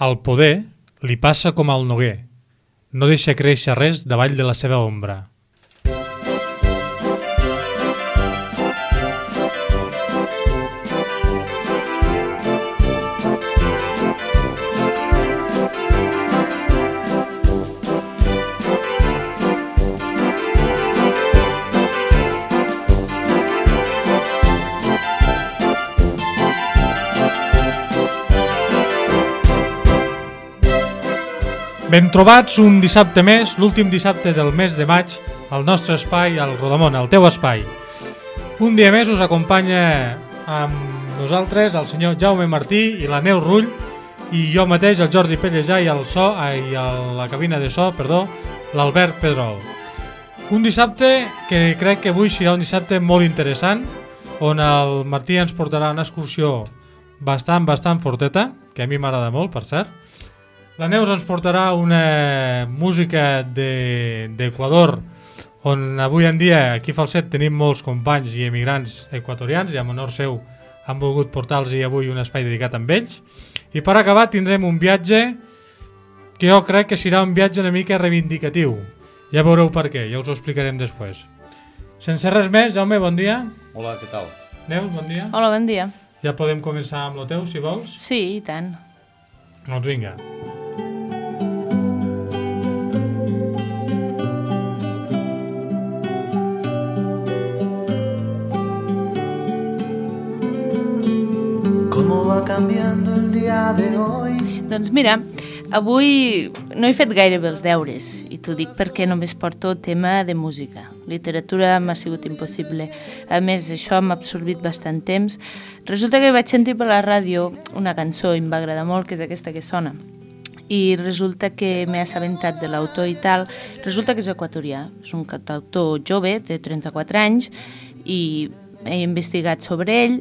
Al poder li passa com al noguer. No deixa créixer res davall de la seva ombra. Ben trobats un dissabte més, l'últim dissabte del mes de maig, al nostre espai, al Rodamón, al teu espai. Un dia més us acompanya amb nosaltres el senyor Jaume Martí i la Neus Rull i jo mateix, el Jordi Pellejà, i a la cabina de so, l'Albert Pedrol. Un dissabte que crec que avui serà un dissabte molt interessant, on el Martí ens portarà una excursió bastant forteta, que a mi m'agrada molt, per cert. La Neus ens portarà una música d'Equador, on avui en dia aquí a Falset tenim molts companys i emigrants equatorians i en honor seu han volgut portar-los avui un espai dedicat amb ells. I per acabar tindrem un viatge que jo crec que serà un viatge una mica reivindicatiu. Ja veureu per què, ja us ho explicarem després. Sense res més, Jaume, bon dia. Hola, què tal? Neus, bon dia. Hola, bon dia. Ja podem començar amb lo teu, si vols? Sí, i tant. Doncs vinga. ¿Cómo va cambiando el día de hoy? Doncs mira, avui no he fet gairebé els deures i t'ho dic perquè només porto tema de música. Literatura m'ha sigut impossible. A més, això m'ha absorbit bastant temps. Resulta que vaig sentir per la ràdio una cançó i em va agradar molt, que és aquesta que sona. I resulta que m'he assabentat de l'autor i tal. Resulta que és equatorià. És un cantautor jove, de 34 anys, i he investigat sobre ell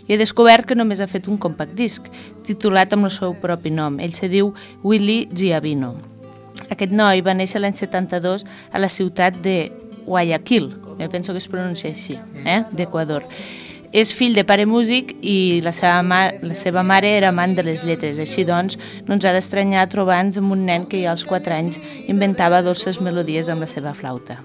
i he descobert que només ha fet un compact disc titulat amb el seu propi nom. Ell se diu Willy Giavino. Aquest noi va néixer l'any 72 a la ciutat de Guayaquil, jo penso que es pronuncia així, d'Equador. És fill de pare músic i la seva mare era amant de les lletres. Així doncs, no ens ha d'estranyar trobar-nos amb un nen que ja als 4 anys inventava dolces melodies amb la seva flauta.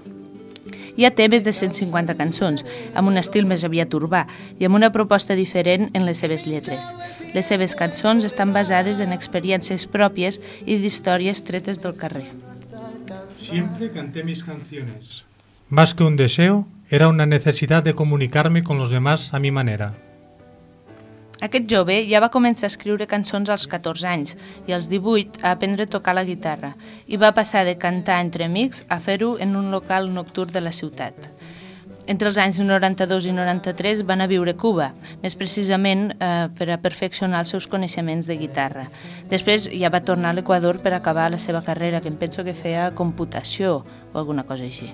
Ja té més de 150 cançons, amb un estil més aviat urbà i amb una proposta diferent en les seves lletres. Les seves cançons estan basades en experiències pròpies i d'històries tretes del carrer. Siempre canté mis canciones. Más que un deseo, era una necesidad de comunicarme con los demás a mi manera. Aquest jove ja va començar a escriure cançons als 14 anys i als 18 a aprendre a tocar la guitarra i va passar de cantar entre amics a fer-ho en un local nocturn de la ciutat. Entre els anys 92 i 93 van a viure a Cuba, més precisament per a perfeccionar els seus coneixements de guitarra. Després ja va tornar a l'Equador per acabar la seva carrera, que em penso que feia computació o alguna cosa així,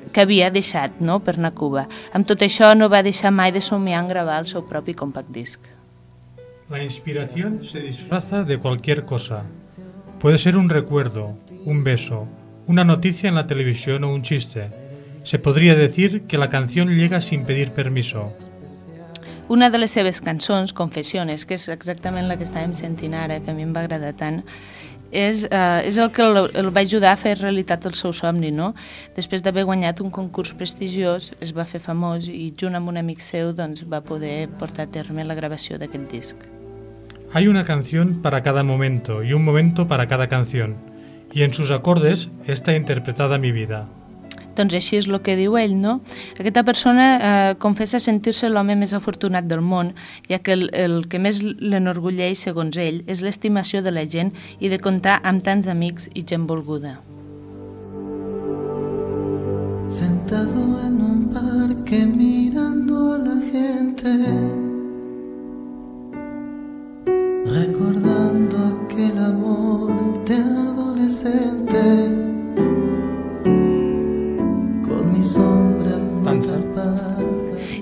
que havia deixat, no?, per anar a Cuba. Amb tot això no va deixar mai de somiar en gravar el seu propi compact disc. La inspiración se disfraza de cualquier cosa. Puede ser un recuerdo, un beso, una noticia en la televisión o un chiste. Se podría decir que la canción llega sin pedir permiso. Una de les seves cançons, Confessiones, que és exactament la que estàvem sentint ara, que a mi em va agradar tant, és el que el va ajudar a fer realitat el seu somni, no? Després d'haver guanyat un concurs prestigiós, es va fer famós i junt amb un amic seu doncs, va poder portar a terme la gravació d'aquest disc. Hay una canción para cada momento y un momento para cada canción, y en sus acordes está interpretada mi vida. Doncs així és el que diu ell, no? Aquesta persona confessa sentir-se l'home més afortunat del món, ja que el que més l'enorgulleix, segons ell, és l'estimació de la gent i de comptar amb tants amics i gent volguda. Sentado en un parque mirando a la gente, recordando aquel amor de adolescente.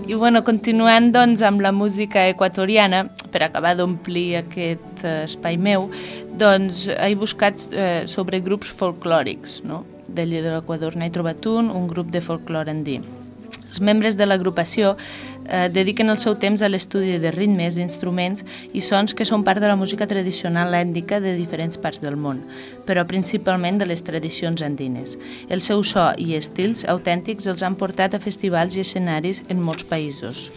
I bueno, continuant doncs amb la música equatoriana, per acabar d'omplir aquest espai meu, doncs he buscat sobre grups folclòrics, no? De l'Equador n'he trobat un grup de folclore andí. Els membres de l'agrupació dediquen el seu temps a l'estudi de ritmes, instruments i sons que són part de la música tradicional ètnica de diferents parts del món, però principalment de les tradicions andines. El seu so i estils autèntics els han portat a festivals i escenaris en molts països.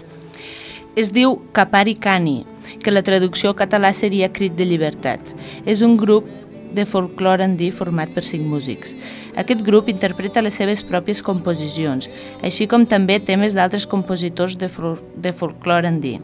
Es diu Kapari Kani, que la traducció català seria Crit de Llibertat. És un grup de folklore andí format per 5 músics. Aquest grup interpreta les seves pròpies composicions, així com també temes d'altres compositors de folklore andí.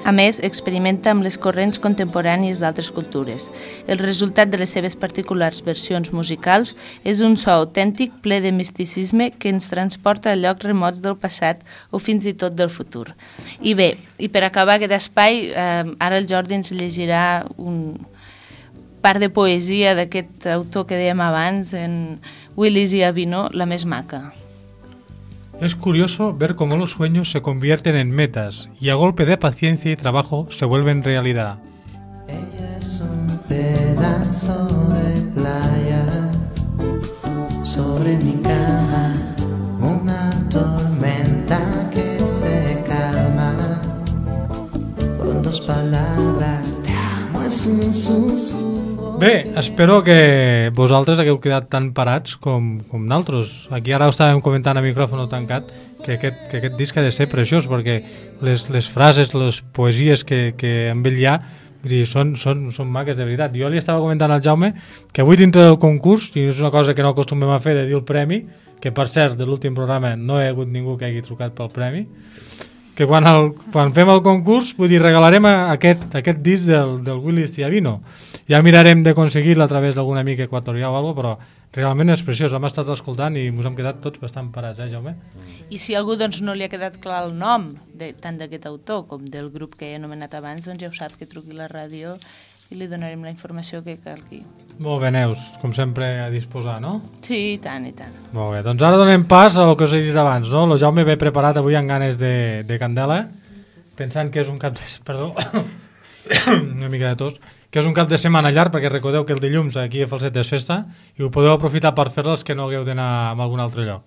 A més, experimenta amb les corrents contemporànies d'altres cultures. El resultat de les seves particulars versions musicals és un so autèntic ple de misticisme que ens transporta a llocs remots del passat o fins i tot del futur. I bé, i per acabar aquest espai, ara el Jordi ens llegirà un part de poesia d'aquest autor que dèiem abans, en Willis y Avino, la més maca. Es curioso ver cómo los sueños se convierten en metas y a golpe de paciencia y trabajo se vuelven realidad. Ella es un pedazo de playa sobre mi cama, una tormenta que se calma con 2 palabras, te amo, es un susurro. Bé, espero que vosaltres hagueu quedat tan parats com naltros. Aquí ara ho estàvem comentant a micròfon tancat, que aquest disc ha de ser preciós, perquè les frases, les poesies que amb ell hi ha, són maques de veritat. Jo li estava comentant al Jaume que avui dintre del concurs, i és una cosa que no acostumem a fer de dir el premi, que per cert de l'últim programa no hi ha hagut ningú que hagi trucat pel premi, que quan fem el concurs, vull dir, regalarem aquest disc del Willis y Avino. Ja mirarem d'aconseguir-lo a través d'algun amic equatorià o alguna cosa, però realment és preciós. Hem estat escoltant i ens hem quedat tots bastant parats, Jaume? I si a algú no li ha quedat clar el nom, tant d'aquest autor com del grup que he anomenat abans, doncs ja ho sap, que truqui a la ràdio i li donarem la informació que calgui. Molt bé, Neus, com sempre a disposar, no? Sí, i tant, i tant. Molt bé, doncs ara donem pas a el que us he dit abans, no? El Jaume ve preparat avui amb ganes de candela, pensant que és un cap de... Perdó, una mica de tos, que és un cap de setmana llarg, perquè recordeu que el dilluns aquí a Falset és festa i ho podeu aprofitar per fer-la els que no hagueu d'anar a algun altre lloc.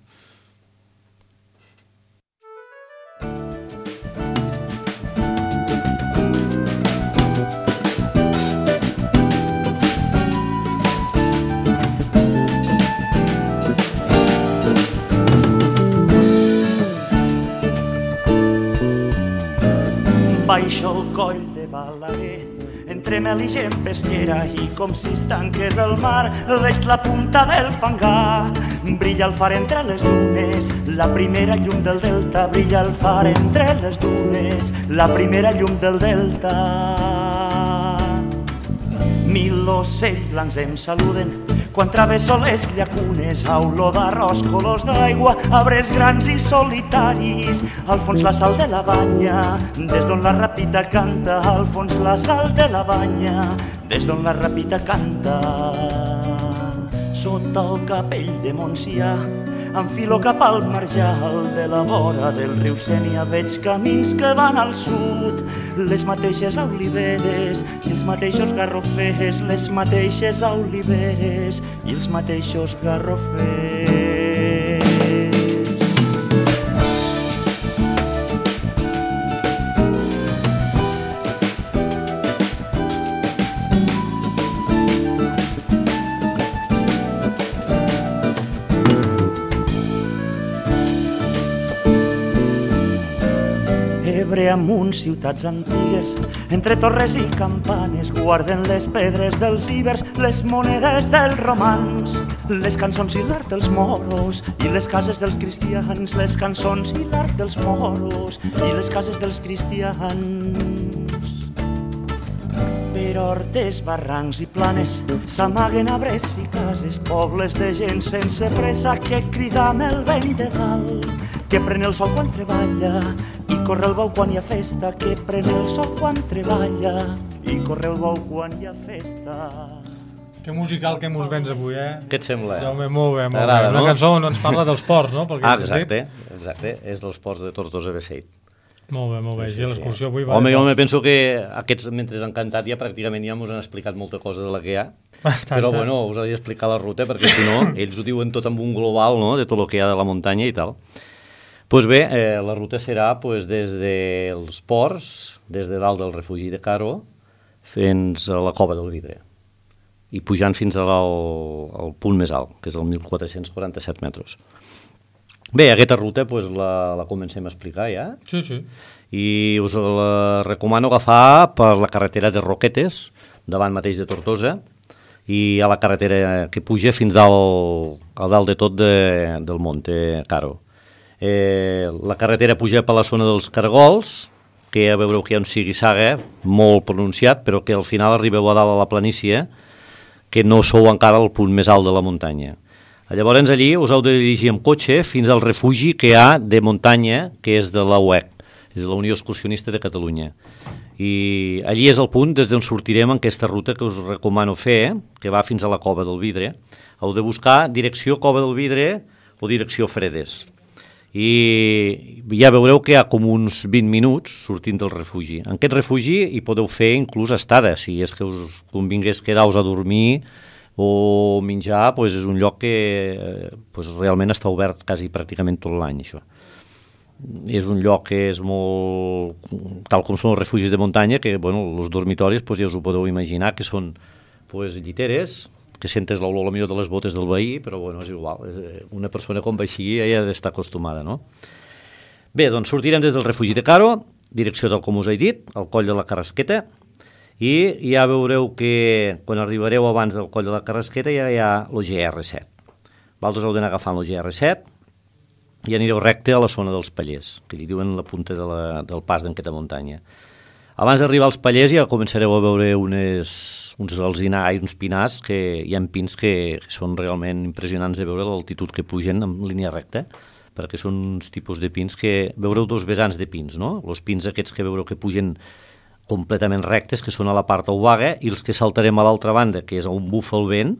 Baixo el coll de Balaguer, entre mel i gent pesquera, i com si es tanqués el mar, veig la punta del fangar. Brilla el far entre les dunes, la primera llum del delta. Brilla el far entre les dunes, la primera llum del delta. 1000 ocells blancs em saluden quan travesso les llacunes, a olor d'arròs, colors d'aigua, arbres grans i solitaris. Al fons la sal de la banya, des d'on la rapita canta. Al fons la sal de la banya, des d'on la rapita canta. Sota el capell de Montsià enfilo cap al marjal de la vora del riu Sénia. Veig camins que van al sud, les mateixes oliveres i els mateixos garrofers, les mateixes oliveres i els mateixos garrofers. Ebre amunt, ciutats antigues, entre torres i campanes, guarden les pedres dels ibers, les monedes dels romans, les cançons i l'art dels moros i les cases dels cristians, les cançons i l'art dels moros i les cases dels cristians. Per hortes, barrancs i planes s'amaguen arbres i cases, pobles de gent sense pressa que crida amb el vent de dalt, que pren el sol quan treballa i corre el bou quan hi ha festa, que pren el sol quan treballa i corre el bou quan hi ha festa. Que musical que mos vens avui, eh? Què et sembla? Jaume, molt bé, molt bé. T'agrada, no? Una cançó on ens parla dels ports, no? Exacte, és dels ports de Tortosa Beseit. Molt bé. Sí, I l'excursió avui va... Home, jo me penso que aquests, mentre han cantat, ja pràcticament ja mos han explicat molta cosa de la que hi ha. Però bueno, us he d'explicar la ruta, perquè si no, ells ho diuen tot amb un global, no?, de tot el que hi ha de la muntanya i tal. Pues bé, la ruta serà pues, des dels ports, des de dalt del refugi de Caro, fins a la Cova del Vidre, i pujant fins al punt més alt, que és el 1.447 metres. Bé, aquesta ruta pues, la comencem a explicar ja. Sí, sí. I us la recomano agafar per la carretera de Roquetes, davant mateix de Tortosa, i a la carretera que puja fins a dalt de tot del Monte Caro. La carretera puja per la zona dels Cargols, que ja veureu que hi ha un sigui-saga molt pronunciat, però que al final arribeu a dalt a la planícia, que no sou encara al punt més alt de la muntanya. Llavors allí us heu de dirigir amb cotxe fins al refugi que hi ha de muntanya, que és de la UEC, és de la Unió Excursionista de Catalunya. I allí és el punt des d'on sortirem en aquesta ruta que us recomano fer, que va fins a la Cova del Vidre. Heu de buscar direcció Cova del Vidre o direcció Fredes. I ja veureu que hi ha com uns 20 minuts sortint del refugi. En aquest refugi hi podeu fer inclús estada, si és que us convingués quedar-vos a dormir o menjar, doncs és un lloc que realment està obert quasi pràcticament tot l'any, això. És un lloc que és molt, tal com són els refugis de muntanya, que els dormitoris ja us ho podeu imaginar, que són lliteres, que sentes l'olor millor de les botes del veí, però és igual, una persona com va així ja ha d'estar acostumada, no? Bé, doncs sortirem des del refugi de Caro, direcció tal com us he dit, al coll de la Carrasqueta, i ja veureu que quan arribareu abans del coll de la Carrasqueta ja hi ha el GR7. Vosaltres heu d'anar agafant el GR7 i anireu recte a la zona dels Pallers, que li diuen la punta del pas d'enquesta muntanya. Abans d'arribar als Pallers ja començareu a veure uns alzinars, uns pinars, que hi ha pins que són realment impressionants de veure l'altitud que pugen en línia recta, perquè són uns tipus de pins que veureu dos vessants de pins, no? Els pins aquests que veureu que pugen completament rectes, que són a la part obaga, i els que saltarem a l'altra banda, que és on bufa el vent,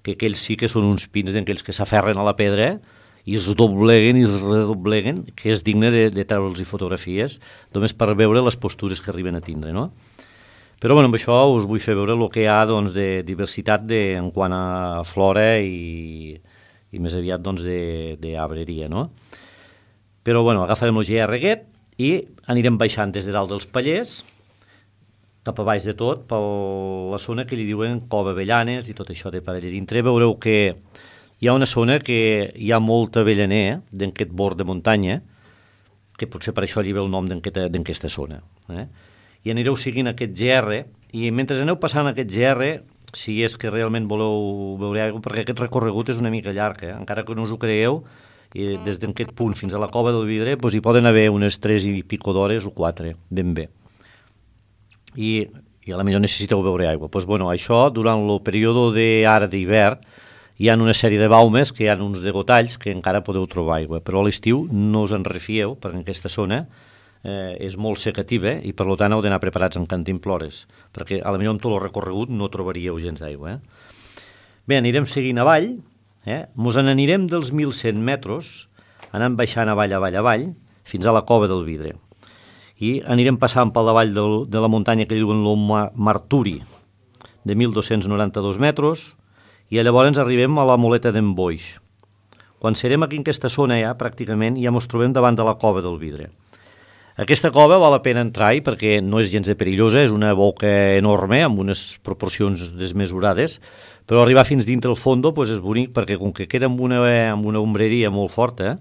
que aquells sí que són uns pins d'aquells que s'aferren a la pedra i es dobleguen i es redobleguen, que és digne de treure'ls fotografies, només per veure les postures que arriben a tindre, no? Però amb això us vull fer veure el que hi ha de diversitat en quant a flora i més aviat d'arbreria, no? Però agafarem el GR aquest i anirem baixant des de dalt dels Pallers cap a baix de tot, per la zona que li diuen Cova Avellanes i tot això de per allà dintre. Veureu que hi ha una zona que hi ha molta avellaner d'aquest bord de muntanya, que potser per això li ve el nom d'aquesta zona. I anireu seguint aquest GR, i mentre aneu passant aquest GR, si és que realment voleu veure aigua, perquè aquest recorregut és una mica llarg, encara que no us ho creieu, i des d'aquest punt fins a la Cova del Vidre hi poden haver unes 3 i pico d'hores o 4, ben bé. I a la millor necessiteu veure aigua. Això, durant el període d'ara d'hivern, hi ha una sèrie de baumes que hi ha uns degotalls que encara podeu trobar aigua, però a l'estiu no us en refieu, perquè en aquesta zona és molt secativa i per tant heu d'anar preparats amb cantimplores, perquè a la millor amb tot el recorregut no trobaríeu gens d'aigua. Bé, anirem seguint avall, mos n'anirem dels 1.100 metres, anant baixant avall, fins a la Cova del Vidre. I anirem passant pel davall de la muntanya que diuen el Marturi, de 1.292 metres, i llavors arribem a la Moleta d'en Boix. Quan serem aquí en aquesta zona pràcticament ja ens trobem davant de la Cova del Vidre. Aquesta cova val la pena entrar-hi perquè no és gens de perillosa, és una boca enorme amb unes proporcions desmesurades, però arribar fins dintre el fons és bonic perquè com que queda amb una ombreria molt forta,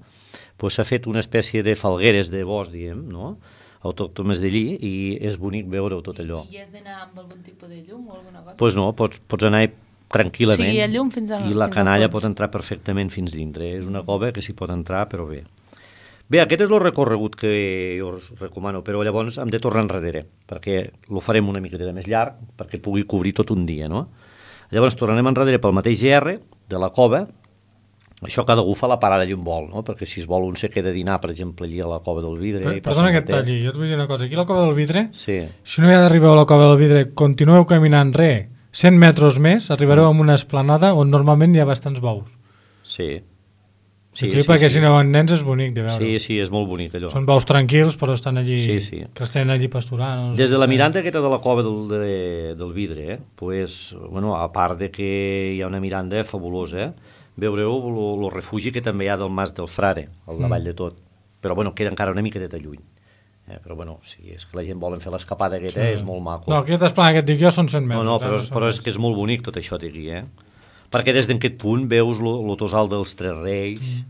s'ha fet una espècie de falgueres de bosc, diguem, no? Autòctones d'allí, i és bonic veure-ho tot allò. I has d'anar amb algun tipus de llum o alguna cosa? Doncs no, pots anar tranquil·lament, o sigui, llum fins i la canalla pot entrar perfectament fins dintre. És una cova que s'hi pot entrar, però bé. Bé, aquest és el recorregut que jo us recomano, però llavors hem de tornar enrere, perquè lo farem una miqueta més llarg, perquè pugui cobrir tot un dia, no? Llavors tornarem enrere pel mateix GR de la cova. Això cada algú fa la parada allà on vol, no? Perquè si es vol un se queda a dinar, per exemple, allà a la Cova del Vidre... Perdona que et talli, jo et vull dir una cosa. Aquí a la Cova del Vidre, sí. Si no hi ha d'arribar a la Cova del Vidre, continueu caminant 100 metres més, arribareu a una esplanada on normalment hi ha bastants bous. Sí. Sí, perquè si no en nens és bonic de veure. Sí, és molt bonic allò. Són bous tranquils, però estan allí, que estan allí pasturant. Des de la miranda aquesta de la Cova del Vidre, a part de que hi ha una miranda fabulosa, veureu el refugi que també hi ha del Mas del Frare, al davall de tot. però bueno, queda encara una miqueta lluny. Però bueno, si és que la gent volen fer l'escapada aquesta, és molt maco. No, aquest esplanat que et dic jo són 100 metres. No, però és que és molt bonic tot això, digui, Perquè des d'aquest punt veus el Tossal dels Tres Reis,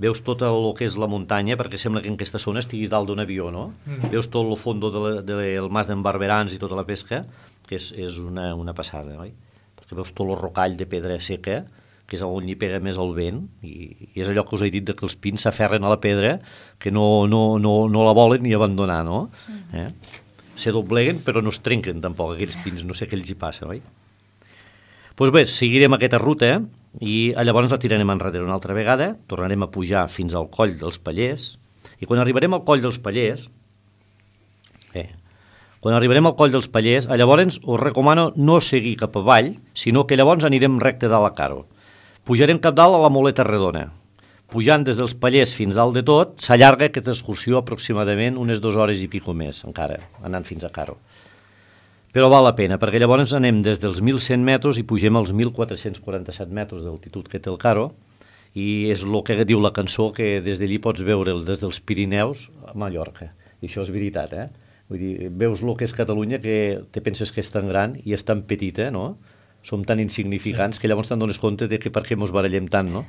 veus tot el que és la muntanya, perquè sembla que en aquesta zona estiguis dalt d'un avió, no? Veus tot el fons del mas d'en Barberans i tota la pesca, que és una passada, oi? Perquè veus tot el rocall de pedra seca, que és on hi pega més el vent, i és allò que us he dit, que els pins s'aferren a la pedra, que no la volen ni abandonar, no? Se dobleguen, però no es trenquen tampoc, aquells pins, no sé què els hi passa, oi? Doncs bé, seguirem aquesta ruta, i llavors la tirarem enrere una altra vegada, tornarem a pujar fins al Coll dels Pallers, i quan arribarem al Coll dels Pallers, llavors us recomano no seguir cap avall, sinó que llavors anirem recte dalt a Caro. Pujarem cap dalt a la Moleta Redona. Pujant des dels Pallers fins dalt de tot, s'allarga aquesta excursió aproximadament unes 2 hores i pico més, encara, anant fins a Caro. Però val la pena, perquè llavors anem des dels 1.100 metres i pugem als 1.447 metres d'altitud que té el Caro, i és el que diu la cançó, que des d'allí pots veure des dels Pirineus a Mallorca. I això és veritat, Vull dir, veus el que és Catalunya, que te penses que és tan gran i és tan petita, no? Som tan insignificants que llavors te'n dones compte de que per què mos barallem tant, no?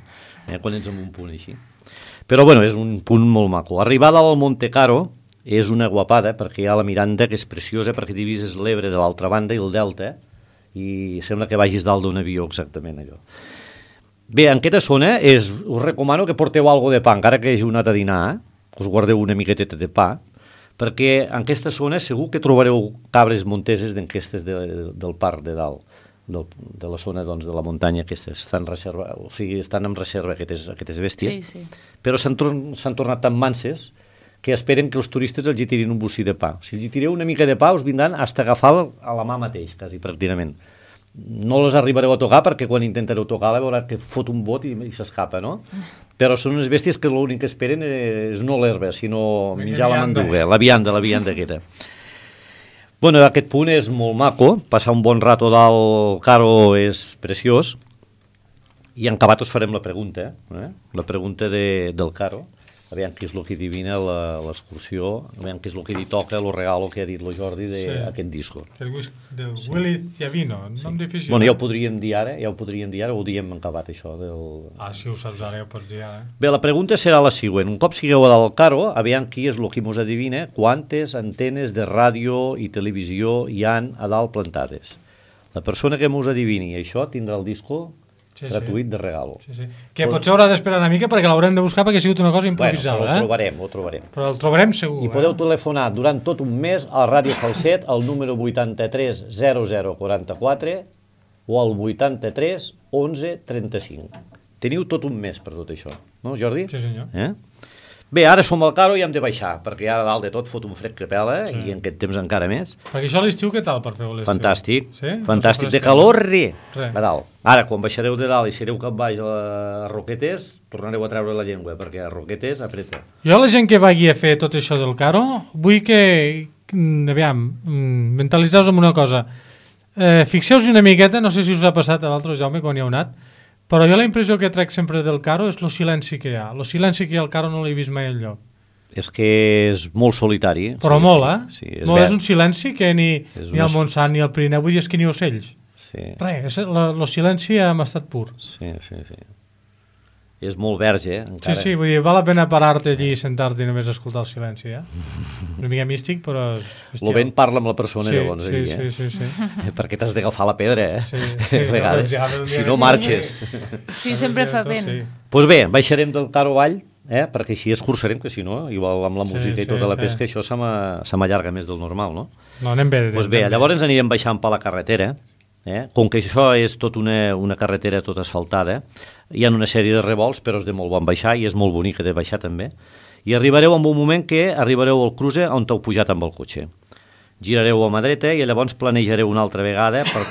Quan ets en un punt així. Però bueno, és un punt molt maco. Arribada al Monte Caro és una guapada, perquè hi ha la Miranda, que és preciosa, perquè divises l'Ebre de l'altra banda i el Delta, i sembla que vagis dalt d'un avió, exactament, allò. Bé, en aquesta zona us recomano que porteu alguna de pa, encara que hagi anat a dinar, us guardeu una miqueteta de pa, perquè en aquesta zona segur que trobareu cabres monteses d'enquestes del parc de dalt, de la zona de la muntanya, que estan en reserva aquestes bèsties, però s'han tornat tan manses que esperen que els turistes els hi tirin un bocí de pa. Si els hi tireu una mica de pa us vindran fins a agafar a la mà mateix, quasi pràcticament. No les arribareu a tocar, perquè quan intentareu tocar-la veurà que fot un bot i s'escapa, no? Però són unes bèsties que l'únic que esperen és no l'herba, sinó menjar la manduga, la vianda aquesta. Bueno, aquest punt és molt maco, passar un bon rato dalt Caro és preciós, i en acabat us farem la pregunta, la pregunta del Caro, aviam què és el que adivina l'excursió, aviam què és el que li toca, el regalo que ha dit el Jordi d'aquest disco. El whisky del Willy Ciavino, nom difícil. Bueno, ja ho podríem dir ara, o ho diem en acabat, això. Si ho saps ara, ja ho pots dir ara. Bé, la pregunta serà la següent. Un cop sigueu a dalt al Caro, aviam qui és el que mos adivina quantes antenes de ràdio i televisió hi han a dalt plantades. La persona que mos adivini això tindrà el disco gratuït de regalo. Que potser haurà d'esperar una mica perquè l'haurem de buscar, perquè ha sigut una cosa improvisada. Bueno, ho trobarem. Però el trobarem segur. I podeu telefonar durant tot un mes a Ràdio Falset al número 83 0044 o al 83 11 35. Teniu tot un mes per tot això, no, Jordi? Sí, senyor. Bé, ara som al Caro i hem de baixar, perquè ara dalt de tot fot un fred que pela, i en aquest temps encara més. Perquè això a l'estiu, què tal per fer l'estiu? Fantàstic, fantàstic. De calor, a dalt. Ara, quan baixareu de dalt i sereu cap baix a Roquetes, tornareu a treure la llengua, perquè a Roquetes apreta. Jo, la gent que vagi a fer tot això del Caro, vull que, aviam, mentalitzeu-vos amb una cosa. Fixeu-vos una miqueta, no sé si us ha passat a l'altre, Jaume, quan hi heu anat, però jo la impressió que trec sempre del Caro és el silenci que hi ha. El silenci que hi ha al Caro no l'he vist mai enlloc. És que és molt solitari. Però molt, Sí, és un silenci que ni al Montsant ni al Pirineu, vull dir, és que ni ocells. Res, el silenci m'ha estat pur. Sí. És molt verge, encara. Sí, vull dir, val la pena parar-te allí i sentar-te i només escoltar el silenci, Una mica místic, però... El vent parla amb la persona, llavors, sí. Perquè t'has d'agafar la pedra, Sí, a vegades, si no marxes. Sí, sempre fa vent. Doncs bé, baixarem del Caro avall, perquè així escurçarem, que si no, igual amb la música i tota la pesca, això se m'allarga més del normal, no? No, anem bé. Doncs bé, llavors ens anirem baixant per la carretera, com que això és tot una carretera tot asfaltada, hi ha una sèrie de revolts, però és de molt bon baixar i és molt bonica de baixar també, i arribareu en un moment que arribareu al cruce on t'heu pujat amb el cotxe. Girareu a mà dreta i llavors planejareu una altra vegada per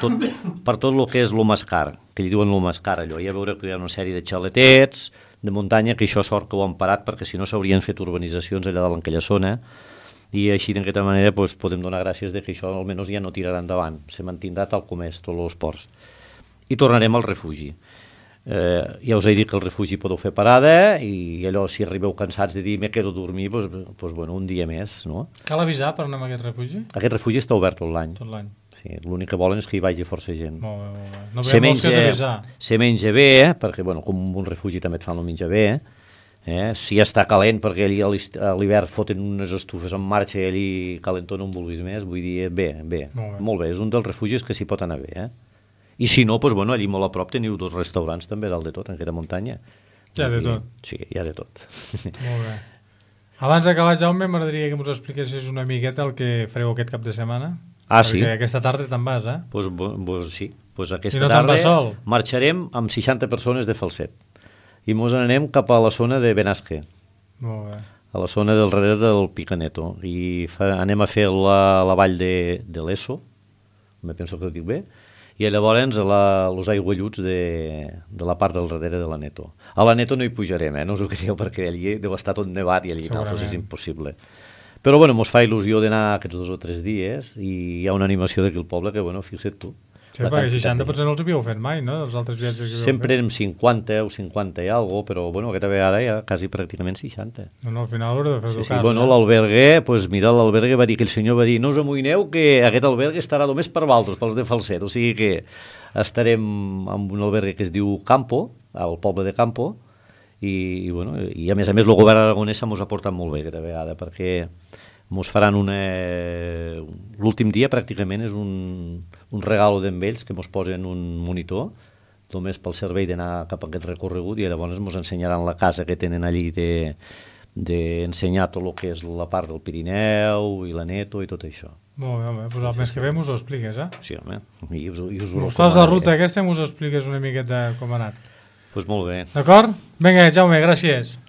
tot el que és l'Omascar, que li diuen l'Omascar allò. Ja veureu que hi ha una sèrie de xaletets de muntanya, que això sort que ho han parat, perquè si no s'haurien fet urbanitzacions allà dalt en aquella zona, i així d'aquesta manera podem donar gràcies que això almenys ja no tirarà endavant, se mantindrà tal com és, tots els ports. I tornarem al refugi. Ja us he dit que el refugi podeu fer parada i allò, si arribeu cansats de dir me quedo a dormir, doncs, bueno, un dia més, no? Cal avisar per anar a aquest refugi? Aquest refugi està obert tot l'any. Tot l'any. Sí, l'únic que volen és que hi vagi força gent. Molt bé, molt bé. No veiem molts que és avisar. Se menja bé, perquè, bueno, com un refugi també et fan el menjar bé, si està calent, perquè allí a l'hivern foten unes estufes en marxa i allí calentona un vulguis més, vull dir, bé, molt bé, és un dels refugis que s'hi pot anar bé, I si no, doncs, bueno, allí molt a prop teniu 2 restaurants també dalt de tot, en aquesta muntanya. Hi ha de tot. Sí, hi ha de tot. Molt bé. Abans d'acabar, Jaume, m'agradaria que ens expliquessis una miqueta el que fareu aquest cap de setmana. Sí. Perquè aquesta tarda te'n vas, Sí, aquesta no tarda sol. Marxarem amb 60 persones de Falset i mos anem cap a la zona de Benasque. Molt bé. A la zona del darrere del Picaneto i anem a fer la vall de l'Eso, me penso que ho dic bé, i llavors els aigualluts de la part del darrere de la Neto. A la Neto no hi pujarem, no us ho creieu, perquè allí deu estar tot nevat i allí doncs és impossible. Però bueno, mos fa il·lusió d'anar aquests 2 o 3 dies i hi ha una animació d'aquí al poble que, bueno, fixa't tu. Sí, perquè 60 potser no els havíeu fet mai, no? Els altres viatges que havíeu fet. Sempre érem 50 o 50 i alguna cosa, però bueno, aquesta vegada ja quasi pràcticament 60. No, al final haureu de fer Sí, bueno, l'albergue, doncs mira, l'albergue va dir que el senyor va dir no us amoïneu que aquest albergue estarà només per vosaltres, pels de Falset, o sigui que estarem en un albergue que es diu Campo, al poble de Campo, i bueno, i a més el govern aragonès mos ha portat molt bé aquesta vegada, perquè mos faran l'últim dia pràcticament és un regalo d'ells que mos posen un monitor només pel servei d'anar cap a aquest recorregut i llavors mos ensenyaran la casa que tenen allí d'ensenyar tot el que és la part del Pirineu i la Neto i tot això. Molt bé, home, doncs el mes que ve m'ho expliques, Sí, home, i us ho recomanaré. Fas la ruta aquesta i m'ho expliques una miqueta com ha anat. Doncs molt bé. D'acord? Vinga, Jaume, gràcies.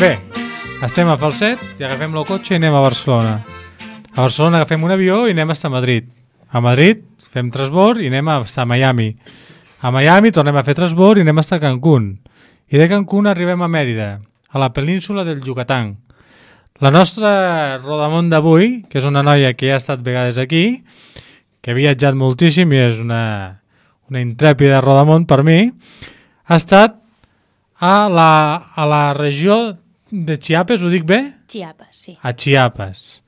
Bé, estem a Falset i agafem el cotxe i anem a Barcelona. A Barcelona agafem un avió i anem a Madrid. A Madrid fem transbord i anem a Miami. A Miami tornem a fer transbord i anem a Cancún. I de Cancún arribem a Mèrida, a la península del Yucatán. La nostra rodamont d'avui, que és una noia que ja ha estat vegades aquí, que ha viatjat moltíssim i és una intrèpida rodamont per mi, ha estat a la regió de Chiapas, ho dic bé? Chiapas, sí. A Chiapas.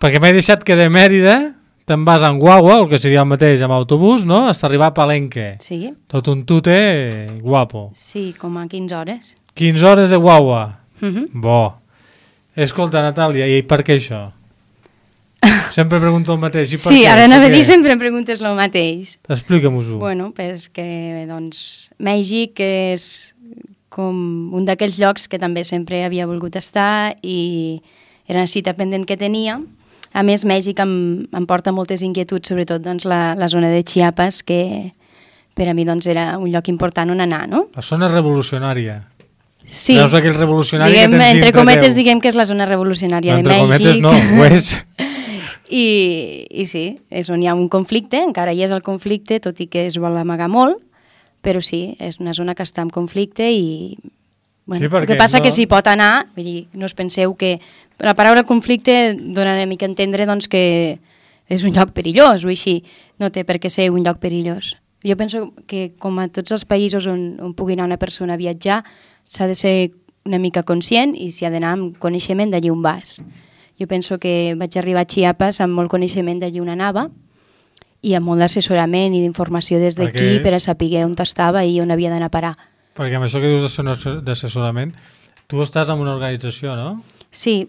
Perquè m'he deixat que de Mèrida te'n vas en guagua, el que seria el mateix amb autobús, no? Hasta arribar a Palenque. Sí. Tot un tute guapo. Sí, com a 15 hores. 15 hores de guagua. Uh-huh. Bo. Escolta, Natàlia, i per què això? Sempre pregunto el mateix. I per Sí, què? ara anava a Per dir què? sempre em preguntes el mateix. Explica-m'ho-ho. Bueno, perquè doncs, Mèxic és com un d'aquells llocs que també sempre havia volgut estar i era una cita pendent que tenia. A més, Mèxic em porta moltes inquietuds, sobretot doncs, la zona de Chiapas, que per a mi doncs, era un lloc important on anar, no? La zona revolucionària. Sí, Veus aquell revolucionari diguem, que tens entre dintre cometes teu. diguem que és la zona revolucionària Entre de cometes Mèxic. no, ho és. I sí, és on hi ha un conflicte, encara hi és el conflicte, tot i que es vol amagar molt, però sí, és una zona que està en conflicte i... Bueno, Sí, el perquè que passa no- que s'hi pot anar, vull dir, no us penseu que... La paraula conflicte dona una mica a entendre doncs, que és un lloc perillós o així, no té per què ser un lloc perillós. Jo penso que com a tots els països on pugui anar una persona a viatjar, s'ha de ser una mica conscient i s'hi ha d'anar amb coneixement d'allí on vas. Jo penso que vaig arribar a Chiapas amb molt coneixement d'allí on anava i amb molt d'assessorament i d'informació des d'aquí Perquè- per a saber on estava i on havia d'anar a parar. Perquè amb això que dius d'assessorament, tu estàs en una organització, no? Sí,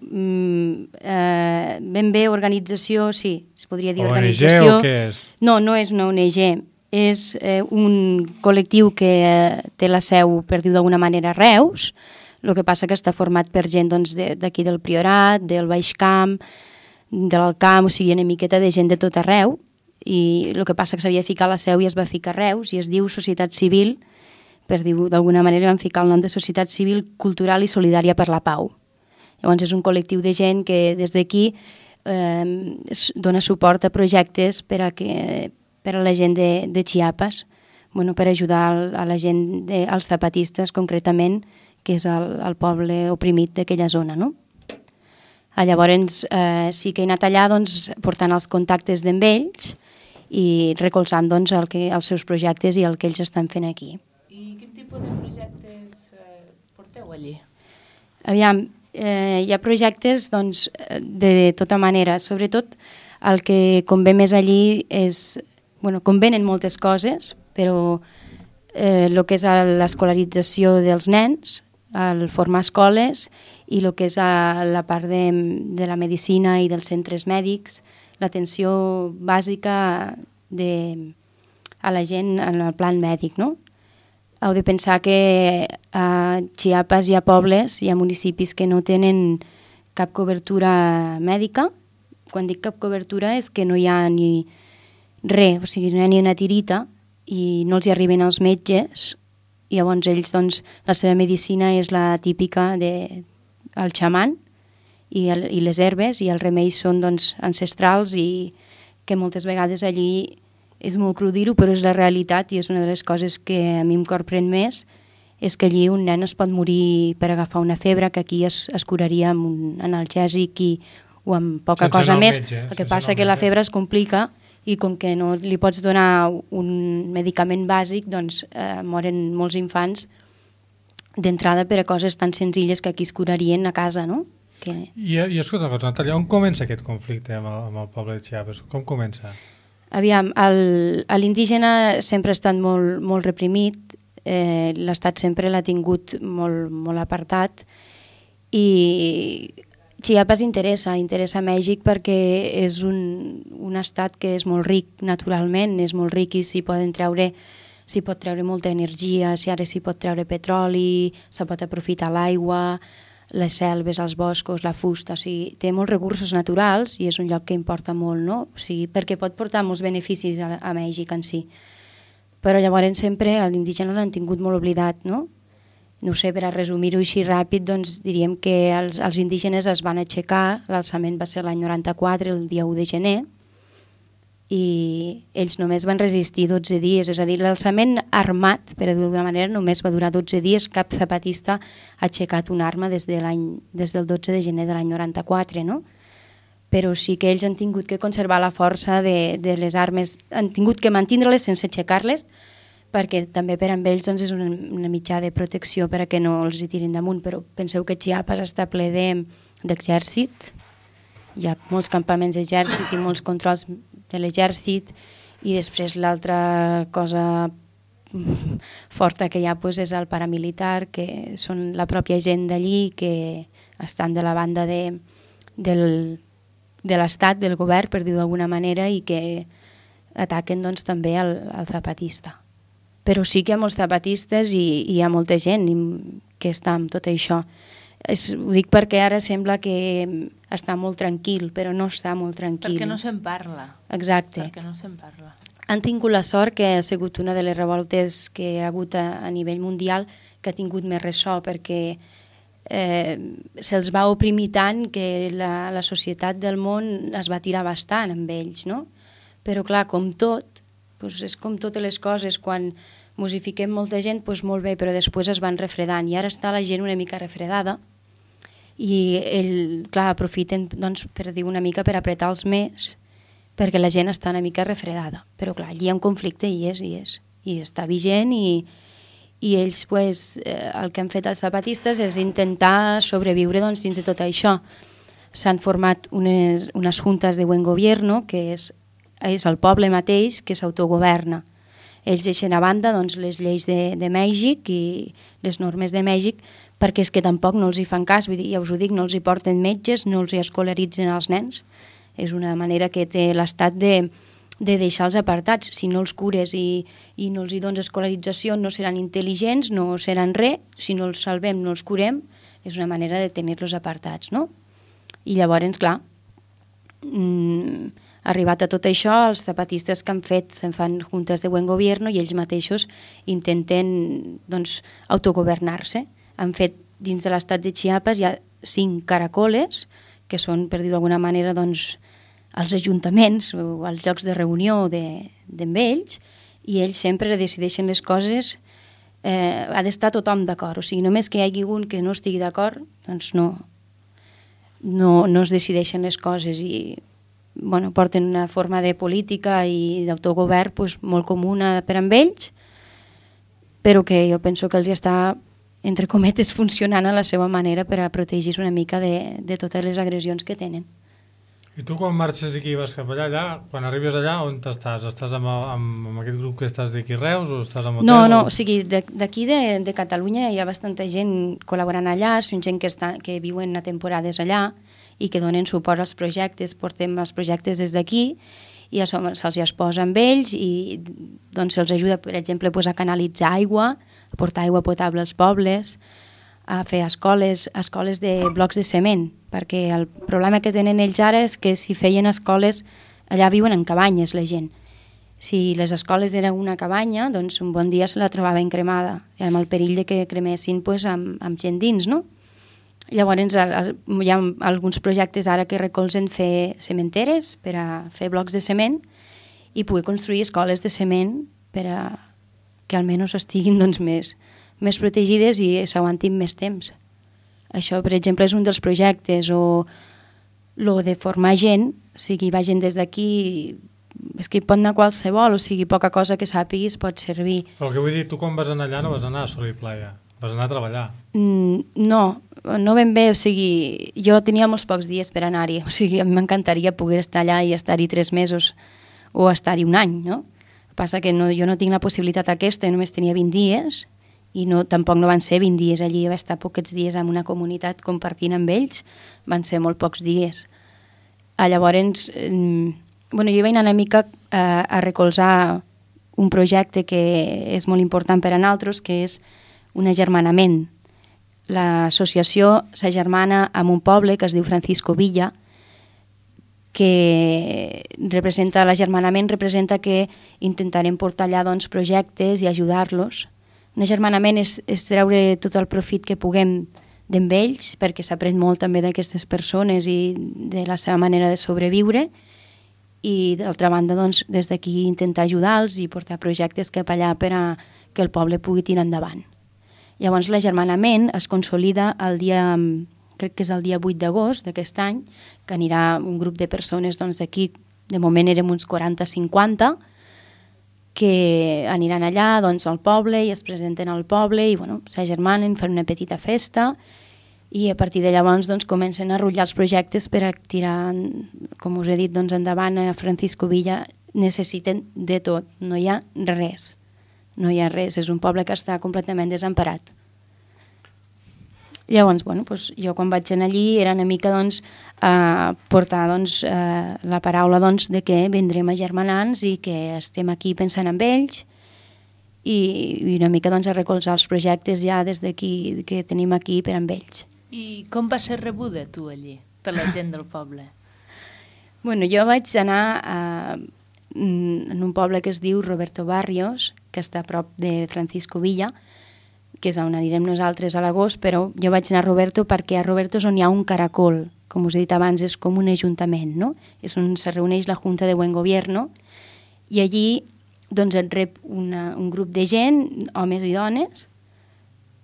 ben bé organització, sí, es podria dir ONG organització. o què és? No, no és una ONG, és un col·lectiu que té la seu, per dir d'alguna manera, a Reus. El que passa que està format per gent doncs, d'aquí del Priorat, del Baix Camp, de l'Alt Camp, o sigui, una miqueta de gent de tot arreu, i el que passa que s'havia de ficar la seu i es va ficar a Reus, i es diu Societat Civil, per dir-ho d'alguna manera, van ficar el nom de Societat Civil Cultural i Solidària per la Pau. Llavors és un col·lectiu de gent que des d'aquí dona suport a projectes per a la gent de Chiapas, bueno, per ajudar a la gent, als zapatistes concretament, que és el poble oprimit d'aquella zona, no? Llavors sí que he anat allà doncs, portant els contactes d'en ells i recolzant doncs, els seus projectes i el que ells estan fent aquí. I quin tipus de projectes porteu allí? Aviam, hi ha projectes doncs, de tota manera, sobretot el que convé més allí és, bueno, convenen moltes coses, però el que és l'escolarització dels nens, el formar escoles i el que és la part de la medicina i dels centres mèdics, l'atenció bàsica a la gent en el plan mèdic, no? Heu de pensar que a Chiapas hi ha pobles, hi ha municipis que no tenen cap cobertura mèdica. Quan dic cap cobertura és que no hi ha ni res, o sigui, no hi ha ni una tirita i no els hi arriben els metges. I llavors ells, doncs, la seva medicina és la típica del xaman i les herbes i els remeis són doncs, ancestrals i que moltes vegades allí és molt cru dir-ho, però és la realitat i és una de les coses que a mi em corprèn més, és que allí un nen es pot morir per agafar una febre que aquí es curaria amb un analgèsic o amb poca Sense cosa anar al més. metge, El que sense passa anar al que la metge. febre es complica i com que no li pots donar un medicament bàsic, doncs moren molts infants d'entrada per a coses tan senzilles que aquí es curarien a casa, no? I escolta una cosa, Natàlia, on comença aquest conflicte amb el poble de Chiapas? Com comença? Aviam, l'indígena sempre ha estat molt, molt reprimit, l'Estat sempre l'ha tingut molt, molt apartat i Chiapas interessa a Mèxic perquè és un estat que és molt ric naturalment, és molt ric i s'hi pot treure molta energia, ara s'hi pot treure petroli, se pot aprofitar l'aigua, les selves, els boscos, la fusta, o sigui, té molts recursos naturals i és un lloc que importa molt, no? O sigui, perquè pot portar molts beneficis a Mèxic en si. Però llavors sempre l'indígena l'han tingut molt oblidat, no? No sé, per a resumir-ho així ràpid, doncs diríem que els indígenes es van aixecar, l'alçament va ser l'any 94, el dia 1 de gener, i ells només van resistir 12 dies, és a dir, l'alçament armat, per dir-ho d'alguna manera, només va durar 12 dies, cap zapatista ha aixecat una arma des del 12 de gener de l'any 94, no? Però sí que ells han tingut que conservar la força de les armes, han tingut que mantindre-les sense aixecar-les, perquè també per amb ells doncs, és una mitjà de protecció per a que no els hi tirin damunt, però penseu que Chiapas està ple d'exèrcit, hi ha molts campaments d'exèrcit i molts controls de l'exèrcit, i després l'altra cosa forta que hi ha doncs, és el paramilitar, que són la pròpia gent d'allí que estan de la banda del de l'Estat, del govern, per dir-ho d'alguna manera, i que ataquen doncs, també el zapatista. Però sí que hi ha molts zapatistes i hi ha molta gent que està amb tot això. Ho dic perquè ara sembla que està molt tranquil, però no està molt tranquil. Perquè no se'n parla. Exacte. Perquè no se'n parla. Han tingut la sort que ha sigut una de les revoltes que hi ha hagut a nivell mundial que ha tingut més ressò, perquè se'ls va oprimir tant que la societat del món es va tirar bastant amb ells, no? Però clar, com tot, doncs és com totes les coses, quan musifiquem molta gent, doncs molt bé, però després es van refredant, i ara està la gent una mica refredada, i clar, aprofiten, doncs, per dir una mica, per apretar-los més, perquè la gent està una mica refredada. Però clar, allí hi ha un conflicte i està vigent, i ells, pues, el que han fet els zapatistes és intentar sobreviure doncs, dins de tot això. S'han format unes juntes de buen gobierno, que és el poble mateix que s'autogoverna. Ells deixen a banda doncs, les lleis de Mèxic i les normes de Mèxic, perquè és que tampoc no els hi fan cas, vull dir, ja us ho dic, no els hi porten metges, no els hi escolaritzen els nens. És una manera que té l'Estat de deixar-los apartats. Si no els cures i no els hi dones escolarització, no seran intel·ligents, no seran res. Si no els salvem, no els curem, és una manera de tenir-los apartats, no? I llavors, clar, arribat a tot això, els zapatistes que han fet se'n fan juntes de buen gobierno i ells mateixos intenten doncs, autogovernar-se. Han fet dins de l'estat de Chiapas hi ha 5 caracoles, que són, per dir d'alguna manera, doncs, els ajuntaments o els llocs de reunió d'amb ells, i ells sempre decideixen les coses, ha d'estar tothom d'acord. O sigui, només que hi hagi un que no estigui d'acord, doncs no es decideixen les coses, i bueno, porten una forma de política i d'autogovern doncs, molt comuna per amb ells, però que jo penso que els està, entre cometes, funcionant a la seva manera per a protegir una mica de totes les agressions que tenen. I tu quan marxes d'aquí i vas cap allà, quan arribes allà, on estàs? Estàs amb aquest grup que estàs d'aquí Reus o estàs en hotel? No, o sigui, d'aquí de Catalunya hi ha bastanta gent col·laborant allà, són gent que viuen a temporades allà i que donen suport als projectes, portem els projectes des d'aquí i se'ls hi exposa amb ells i doncs se'ls ajuda, per exemple, a canalitzar aigua, a portar aigua potable als pobles, a fer escoles de blocs de cement, perquè el problema que tenen ells ara és que si feien escoles, allà viuen en cabanyes la gent. Si les escoles eren una cabanya, doncs un bon dia se la trobaven cremada, amb el perill de que cremessin amb gent dins, no? Llavors hi ha alguns projectes ara que recolzen fer cementeres per a fer blocs de cement i poder construir escoles de cement per a que almenys estiguin doncs, més protegides i s'aguantin més temps. Això, per exemple, és un dels projectes, o lo de formar gent, o sigui, va gent des d'aquí, és que hi pot anar qualsevol, o sigui, poca cosa que sàpiguis pot servir. Però el que vull dir, tu quan vas anar allà no vas anar a sol i playa, vas anar a treballar. No ben bé, o sigui, jo tenia molts pocs dies per anar-hi, o sigui, a mi m'encantaria poder estar allà i estar-hi 3 mesos o estar-hi un any, no? El que passa que jo no tinc la possibilitat aquesta, jo només tenia 20 dies, i tampoc no van ser 20 dies allí, va estar pocs dies en una comunitat compartint amb ells, van ser molt pocs dies. Llavors, jo vaig anar una mica a recolzar un projecte que és molt important per a nosaltres, que és un agermanament. L'associació s'agermana amb un poble que es diu Francisco Villa, que l'agermanament representa que intentarem portar allà doncs, projectes i ajudar-los. Un agermanament és treure tot el profit que puguem d'amb ells, perquè s'aprèn molt també d'aquestes persones i de la seva manera de sobreviure, i d'altra banda doncs, des d'aquí intentar ajudar-los i portar projectes cap allà per a que el poble pugui tirar endavant. Llavors l'agermanament es consolida crec que és el dia 8 d'agost d'aquest any, que anirà un grup de persones d'aquí, de moment érem uns 40-50, que aniran allà al poble i es presenten al poble i s'agermanen, fan una petita festa i a partir de llavors comencen a rotllar els projectes per a tirar, com us he dit, endavant. A Francisco Villa necessiten de tot, no hi ha res. No hi ha res, és un poble que està completament desemparat. Llavors, bueno, doncs, jo quan vaig anar allí era una mica portar la paraula de que vindrem a germanants i que estem aquí pensant en ells i una mica a recolzar els projectes ja des d'aquí que tenim aquí per amb ells. I com va ser rebuda tu allí, per la gent del poble? Bueno, jo vaig anar en un poble que es diu Roberto Barrios, que està a prop de Francisco Villa, que és on anirem nosaltres a l'agost, però jo vaig anar a Roberto perquè a Roberto és on hi ha un caracol, com us he dit abans, és com un ajuntament, no? És on se reuneix la Junta de Buen Gobierno i allí doncs et rep un grup de gent, homes i dones,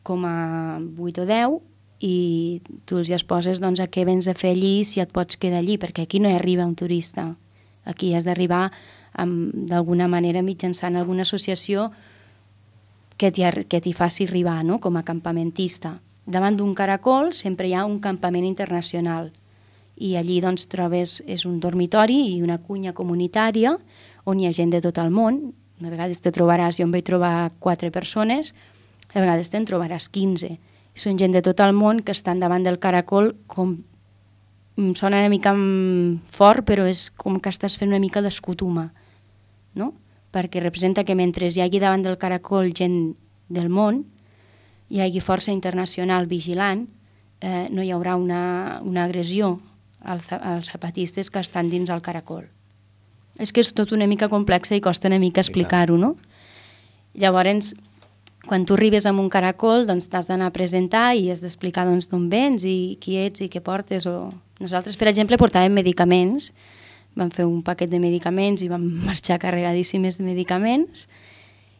com a 8 o 10, i tu els exposes a què vens a fer allí, si et pots quedar allí, perquè aquí no hi arriba un turista. Aquí has d'arribar d'alguna manera mitjançant alguna associació que t'hi faci arribar, no?, com a campamentista. Davant d'un caracol sempre hi ha un campament internacional i allí trobes, és un dormitori i una cuina comunitària on hi ha gent de tot el món. A vegades te trobaràs, jo em vaig trobar 4 persones, a vegades te'n trobaràs 15. Són gent de tot el món que estan davant del caracol, com sona una mica fort, però és com que estàs fent una mica d'escutuma, no? Perquè representa que mentre hi hagi davant del caracol gent del món, hi hagi força internacional vigilant, no hi haurà una agressió als zapatistes que estan dins el caracol. És que és tot una mica complexa i costa una mica explicar-ho, no? Llavors, quan tu arribes amb un caracol, t'has d'anar a presentar i has d'explicar d'on vens i qui ets i què portes. Nosaltres, per exemple, portàvem medicaments, vam fer un paquet de medicaments i vam marxar carregadíssimes de medicaments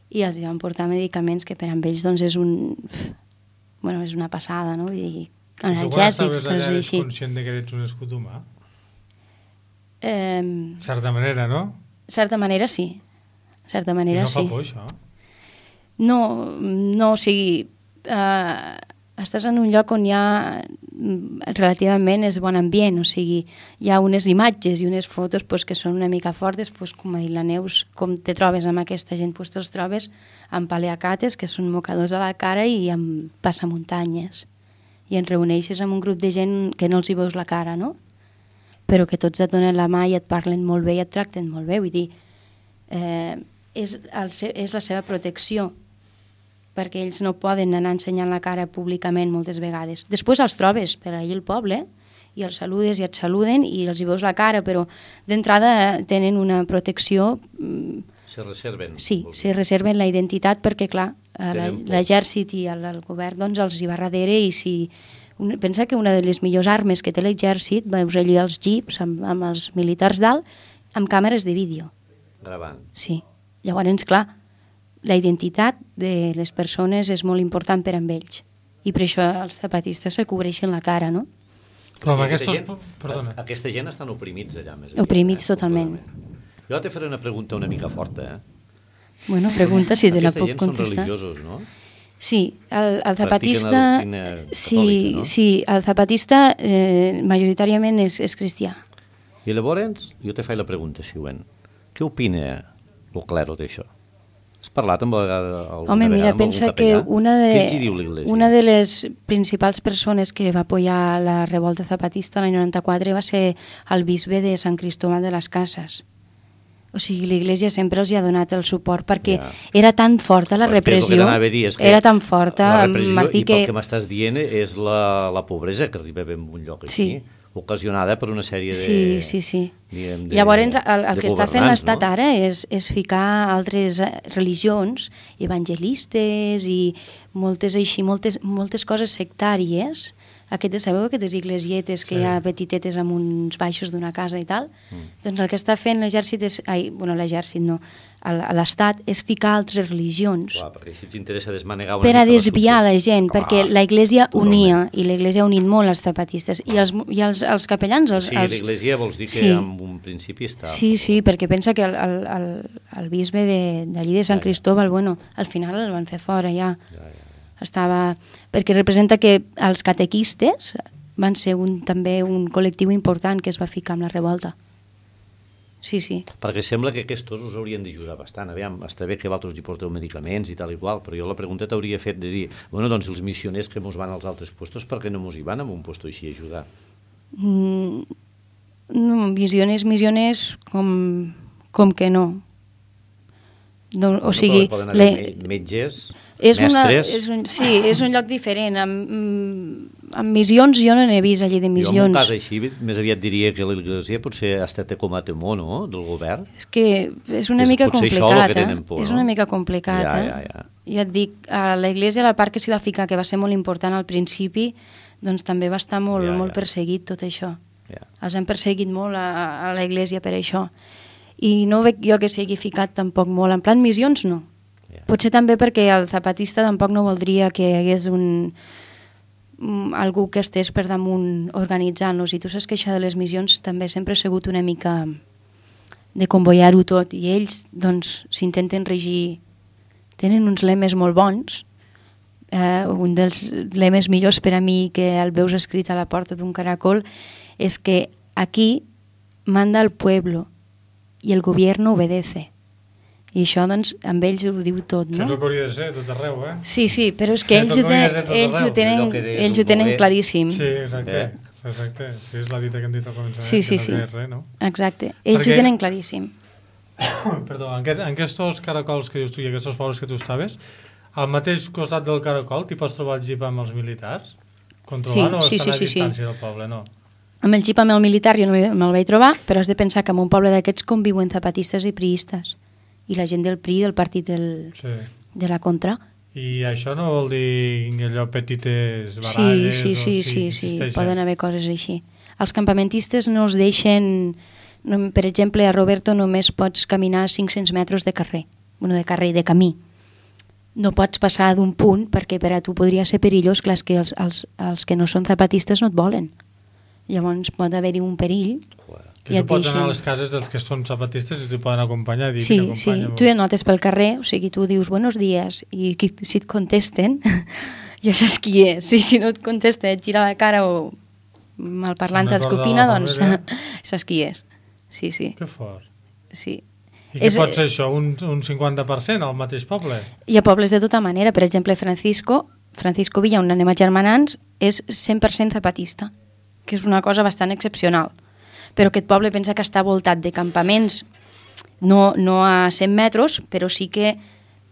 i els vam portar medicaments que per amb ells és una passada, no? Vull dir, analgèsics, coses allà, ets conscient que ets un escut humà? Certa manera, no? Certa manera, sí. Certa manera, sí. I no fa por, això? No, o sigui, estàs en un lloc on hi ha relativament és bon ambient, o sigui, hi ha unes imatges i unes fotos que són una mica fortes, com ha dit la Neus, com te trobes amb aquesta gent, te'ls trobes amb paleacates, que són mocadors a la cara, i amb passamuntanyes. I ens reuneixes amb un grup de gent que no els hi veus la cara, no? Però que tots et donen la mà i et parlen molt bé i et tracten molt bé, vull dir, és la seva protecció, perquè ells no poden anar ensenyant la cara públicament moltes vegades. Després els trobes per allà al poble i els saludes i et saluden i els hi veus la cara, però d'entrada tenen una protecció. Se reserven. Sí, se reserven la identitat perquè, clar, l'exèrcit i el govern els hi va darrere i si... Pensa que una de les millors armes que té l'exèrcit, veus allí els jeeps amb els militars dalt, amb càmeres de vídeo. Gravant. Sí. Llavors, clar, la identitat de les persones és molt important per amb ells. I per això els zapatistes se cobreixen la cara, no? Però amb aquesta gent estan oprimits allà. Oprimits totalment. Jo te faré una pregunta una mica forta, Bueno, pregunta si te la puc contestar. Aquesta gent són religiosos, no? Sí, el zapatista... Sí, no? Sí, el zapatista majoritàriament és cristià. I llavors, jo te faig la pregunta següent. Què opina el clero d'això? Has parlat amb Home, mira, pensa que una de les principals persones que va apoyar la revolta zapatista l'any 94 va ser el bisbe de Sant Cristóbal de les Casas. O sigui, l'Iglésia sempre els hi ha donat el suport perquè era tan forta la repressió, era tan forta... La repressió, i pel que m'estàs dient, és la pobresa que arriba a un lloc així, ocasionada per una sèrie de... Sí. Llavors, el que està fent l'Estat ara és ficar altres religions, evangelistes i moltes coses sectàries. Sabeu aquestes iglesietes que hi ha petitetes amb uns baixos d'una casa i tal? Doncs el que està fent l'exèrcit l'Estat és ficar altres religions. Clar, perquè si ens interessa desmanegar per a desviar la gent, perquè l'Església unia, i l'Església ha unit molt els zapatistes. I els capellans... Sí, l'Església vols dir que en un principi està... Sí, perquè pensa que el bisbe d'allí de Sant Cristóbal, al final el van fer fora ja. Perquè representa que els catequistes van ser també un col·lectiu important que es va ficar amb la revolta. sí, sí. Perquè sembla que aquests us haurien d'ajudar bastant. Aviam, està bé que vosaltres hi porteu medicaments i tal i qual, però jo la pregunta t'hauria fet de dir, bueno, doncs els missioners que mos van als altres puestos, per què no mos hi van en un puesto així a ajudar? No, misiones, com que no. O sigui... Però poden haver metges, mestres... És un lloc diferent. Amb missions jo no n'he vist allí de missions. Jo en un cas així més aviat diria que l'Església potser ha estat com a temor, no?, del govern. És que és una mica complicat, por, és una mica complicat, ja. Ja et dic, a l'Església la part que s'hi va ficar, que va ser molt important al principi, doncs també va estar molt perseguit tot això. Els han perseguit molt a l'Església per això. I no veig jo que s'hi hagi ficat tampoc molt. En plan missions, no. Potser també perquè el zapatista tampoc no voldria que hi hagués algú que estés per damunt organitzant-los. I tu saps que això de les missions també sempre ha sigut una mica de convoiar-ho tot. I ells, doncs, s'intenten regir. Tenen uns lemes molt bons. Un dels lemes millors per a mi que el veus escrit a la porta d'un caracol és que aquí manda el pueblo i el govern obedece. I això, doncs, amb ells ho diu tot, no? Que és el que hauria de ser tot arreu, eh? Sí, però és que ells ho tenen claríssim. Sí, exacte. Sí, és la dita que hem dit al començament. Sí. Res, no? Exacte. Ells ho tenen claríssim. Perdó, en aquests caracols que dius tu i aquests pobles que tu estaves, al mateix costat del caracol t'hi pots trobar el jeep amb els militars? Controlant o estan a distància del poble, no? Amb el jeep amb el militar jo no me'l vaig trobar, però has de pensar que en un poble d'aquests conviuen zapatistes i priistes. I la gent del PRI, del partit de la contra. I això no vol dir allò petites baralles? Sí, poden haver coses així. Els campamentistes no els deixen... Per exemple, a Roberto només pots caminar 500 metres de carrer. De carrer i de camí. No pots passar d'un punt perquè per a tu podria ser perillós. Clar, que els que no són zapatistes no et volen. Llavors pot haver-hi un perill. I tu pots anar a les cases dels que són zapatistes i t'hi poden acompanyar. Sí, tu ja notes pel carrer, o sigui, tu dius buenos días i si et contesten ja saps qui és. Si no et contesta, et gira la cara o malparlant t'escopina, doncs saps qui és. Sí. Que fort. Sí. I què pot ser això? Un 50% al mateix poble? Hi ha pobles de tota manera. Per exemple, Francisco Villa, on anem a germanants, és 100% zapatista, que és una cosa bastant excepcional. Però aquest poble pensa que està voltat de campaments, no a 100 metres, però sí que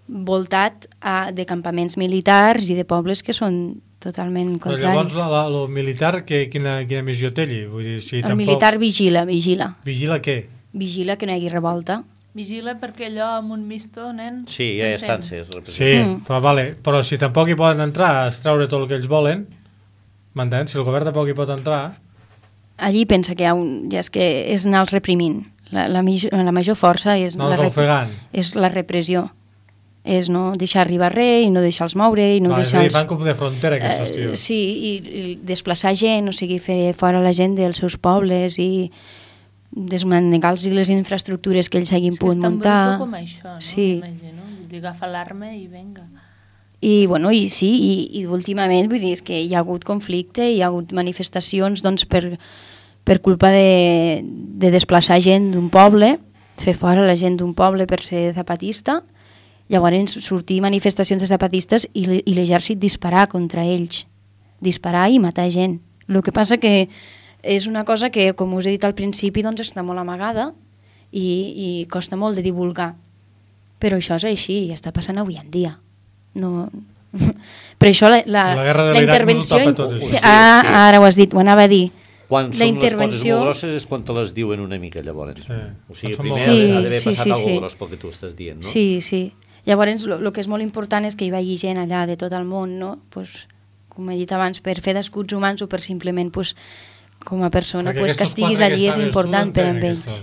voltat de campaments militars i de pobles que són totalment contraris. Però llavors el militar quina missió té allí? Vull dir, si el militar vigila. Vigila què? Vigila que no hi hagi revolta. Vigila perquè allò amb un misto, nen... Sí, ja estan ses. Sí, però si tampoc hi poden entrar a extreure tot el que ells volen, m'entens? Si el govern tampoc hi pot entrar... Allí pensa que és que és anar-los reprimint. La major força és la repressió. És no deixar arribar res i no deixar-los moure i no deixar-los... Fan com de frontera aquests tios. Sí, i desplaçar gent, o sigui, fer fora la gent dels seus pobles i desmanegar-los les infraestructures que ells hagin pogut muntar. És tan bruto com això, no? Sí. M'imagino. Agafa l'arma i venga. I últimament vull dir, és que hi ha hagut conflicte, hi ha hagut manifestacions doncs, per culpa de desplaçar gent d'un poble, fer fora la gent d'un poble per ser zapatista. Llavors sortir manifestacions de zapatistes i l'exèrcit disparar contra ells, disparar i matar gent. El que passa que és una cosa que, com us he dit al principi, doncs està molt amagada i costa molt de divulgar. Però això és així, i està passant avui en dia. No... Per això la intervenció... Ara ho has dit, ho anava a dir. Quan són les coses molt grosses és quan te les diuen una mica, llavors. O sigui, primer ha d'haver passat alguna cosa gros pel que tu estàs dient, no? Sí. Llavors, el que és molt important és que hi vagi gent allà de tot el món, no? Pues, com he dit abans, per fer d'escuts humans o per simplement, pues, com a persona, pues, que estiguis allí és important per a ells.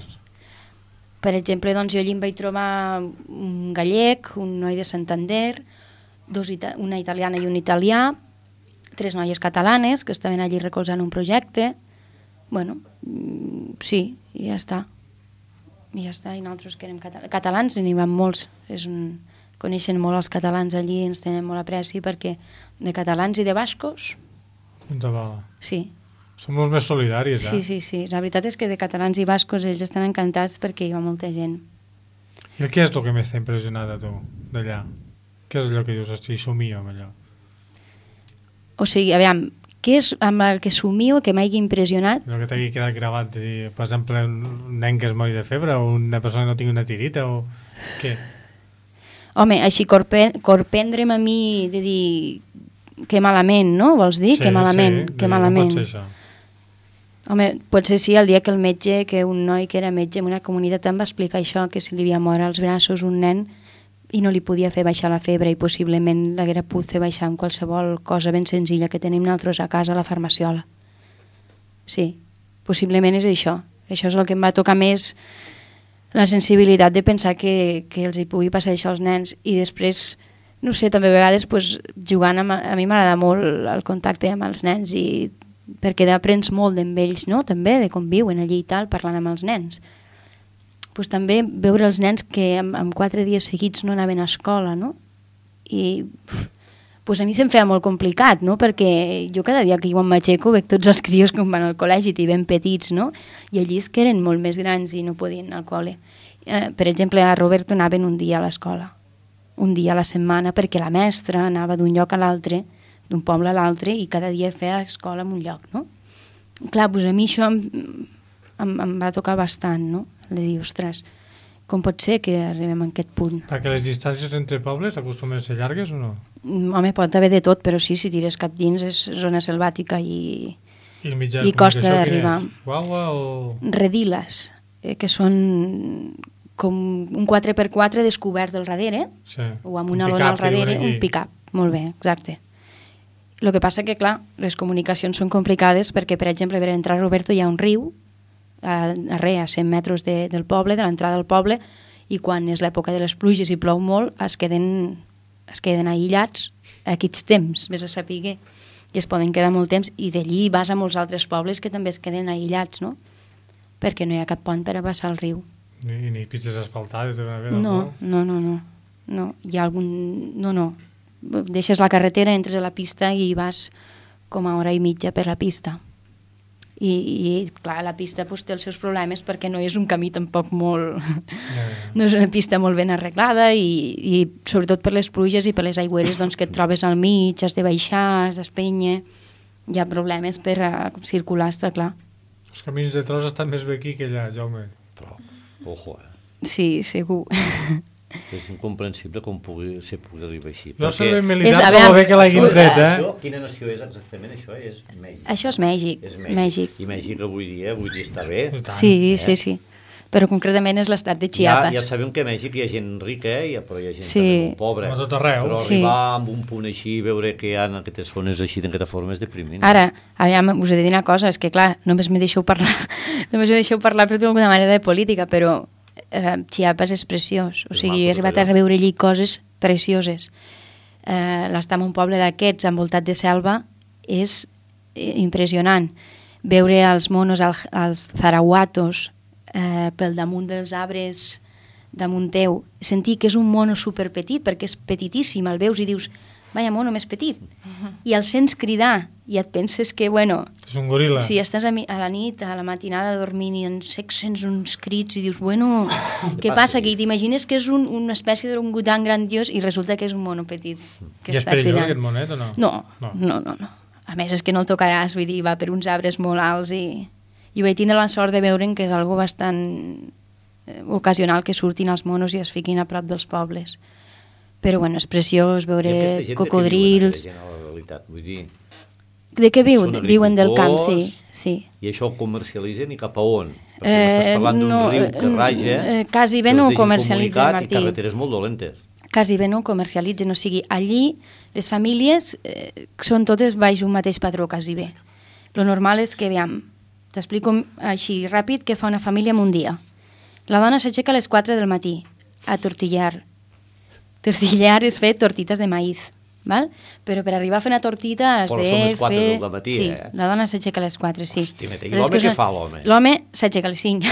Per exemple, doncs, jo allí em vaig trobar un gallec, un noi de Santander, una italiana i un italià, 3 noies catalanes que estaven allí recolzant un projecte. Bueno, sí, i ja està. I nosaltres que érem catalans n'hi van molts. Coneixen molt els catalans allí, ens tenen molt apreci perquè de catalans i de bascos... Punta bala. Sí, Som els més solidaris, Sí. La veritat és que de catalans i bascos ells estan encantats perquè hi va molta gent. I què és el que més t'ha impressionat a tu, d'allà? Què és allò que dius, hosti, somio amb allò? O sigui, aviam, què és amb el que somio que m'hagi impressionat? Allò que t'hagi quedat gravat, de dir, per exemple, un nen que es mori de febre o una persona que no tingui una tirita o què? Home, així corprendre'm a mi de dir que malament, no? Vols dir? Que malament. No pot ser això. Home, potser sí, el dia que el metge, que un noi que era metge en una comunitat em va explicar això, que si li havia mort als braços un nen i no li podia fer baixar la febre i possiblement l'haguera pogut fer baixar amb qualsevol cosa ben senzilla que tenim nosaltres a casa a la farmaciola. Sí, possiblement és això. Això és el que em va tocar més, la sensibilitat de pensar que els hi pugui passar això als nens. I després, no sé, també a vegades pues, jugant a mi m'agrada molt el contacte amb els nens i perquè aprens molt d'ells, ells, no? També, de com viuen allí i tal, parlant amb els nens. Pues, també veure els nens que en 4 dies seguits no anaven a escola, no? I pues, a mi se'm feia molt complicat, no? Perquè jo cada dia que jo m'aixeco veig tots els crios que van al col·legi i ben petits, no? I allí és que eren molt més grans i no podien anar al col·le. Per exemple, a Roberto anaven un dia a l'escola, un dia a la setmana, perquè la mestra anava d'un lloc a l'altre, d'un poble a l'altre, i cada dia feia escola en un lloc, no? Clar, doncs a mi això em va tocar bastant, no? De dir, ostres, com pot ser que arribem a aquest punt? Perquè les distàncies entre pobles acostumen a ser llargues o no? Home, pot haver de tot, però sí, si tires cap dins és zona selvàtica i costa d'arribar. Guagua o...? Rediles, que són com un 4x4 descobert del darrere, sí. O amb una lona al darrere, un pick-up. Molt bé, exacte. El que passa que, clar, les comunicacions són complicades perquè, per exemple, per entrar a Roberto hi ha un riu a 100 metres del poble, de l'entrada del poble, i quan és l'època de les pluges i plou molt es queden aïllats a aquests temps, vés a saber, i es poden quedar molt temps, i d'allí vas a molts altres pobles que també es queden aïllats, no? Perquè no hi ha cap pont per a passar el riu. Ni pistes asfaltades? No. Hi ha algun... No. Deixes la carretera, entres a la pista i vas com a hora i mitja per la pista. I clar, la pista pues, té els seus problemes perquè no és un camí tampoc molt... No és una pista molt ben arreglada i sobretot per les pluges i per les aigüeres doncs, que et trobes al mig, has de baixar, has d'espènyer, hi ha problemes per circular, està clar. Els camins de tros estan més bé aquí que allà, Jaume. Però, ojo, Sí, segur. És incomprensible com pugui arribar així. Jo sé ben militar, però bé que l'hagin tret, Quina nació és exactament això? És Mèxic. Això és Mèxic. I Mèxic avui dia està bé. Sí. Però concretament és l'estat de Chiapas. Ja sabem que a Mèxic hi ha gent rica, però hi ha gent molt pobra. Com a tot arreu. Però arribar amb un punt així, veure que hi ha aquestes zones així d'aquesta forma és deprimint. Ara, aviam, us he de dir una cosa, és que clar, només me deixeu parlar per d'alguna manera de política, però Chiapas és preciós, o sigui, he arribat a veure allí coses precioses. L'estar en un poble d'aquests envoltat de selva és impressionant. Veure els monos, els zarahuatos pel damunt dels arbres damunt teu, sentir que és un mono superpetit perquè és petitíssim, el veus i dius vaya mono més petit, i el sents cridar i et penses que, bueno... És un goril·la. Si estàs a la nit, a la matinada dormint i en sec sents uns crits i dius, bueno, què passa? Que t'imagines que és una espècie d'orangutan grandiós i resulta que és un mono petit que I està és perillós cridant. aquest monet o no? No. A més és que no el tocaràs, vull dir, va per uns arbres molt alts i ho vaig tindre la sort de veure'n que és algo bastant ocasional que surtin els monos i es fiquin a prop dels pobles. Però bueno, és preciós veure cocodrils. De què viuen? Viuen del camp, sí. I això ho comercialitzen i cap a on? Perquè m'estàs parlant d'un riu que raja, quasi bé no ho comercialitzen, Martí. I carreteres molt dolentes. Quasi bé no ho comercialitzen, o sigui, allí les famílies són totes baix un mateix patró, quasi bé. Lo normal és que, aviam, t'explico així ràpid què fa una família en un dia. La dona s'aixeca a les 4 del matí a tortillar. Tortillar és fer tortites de maïz, val? Però per arribar a fer una tortita has de fer... Però són les 4 del matí, sí, la dona s'aixeca a les 4, sí. Hosti, i l'home què fa, l'home? L'home s'aixeca a les 5.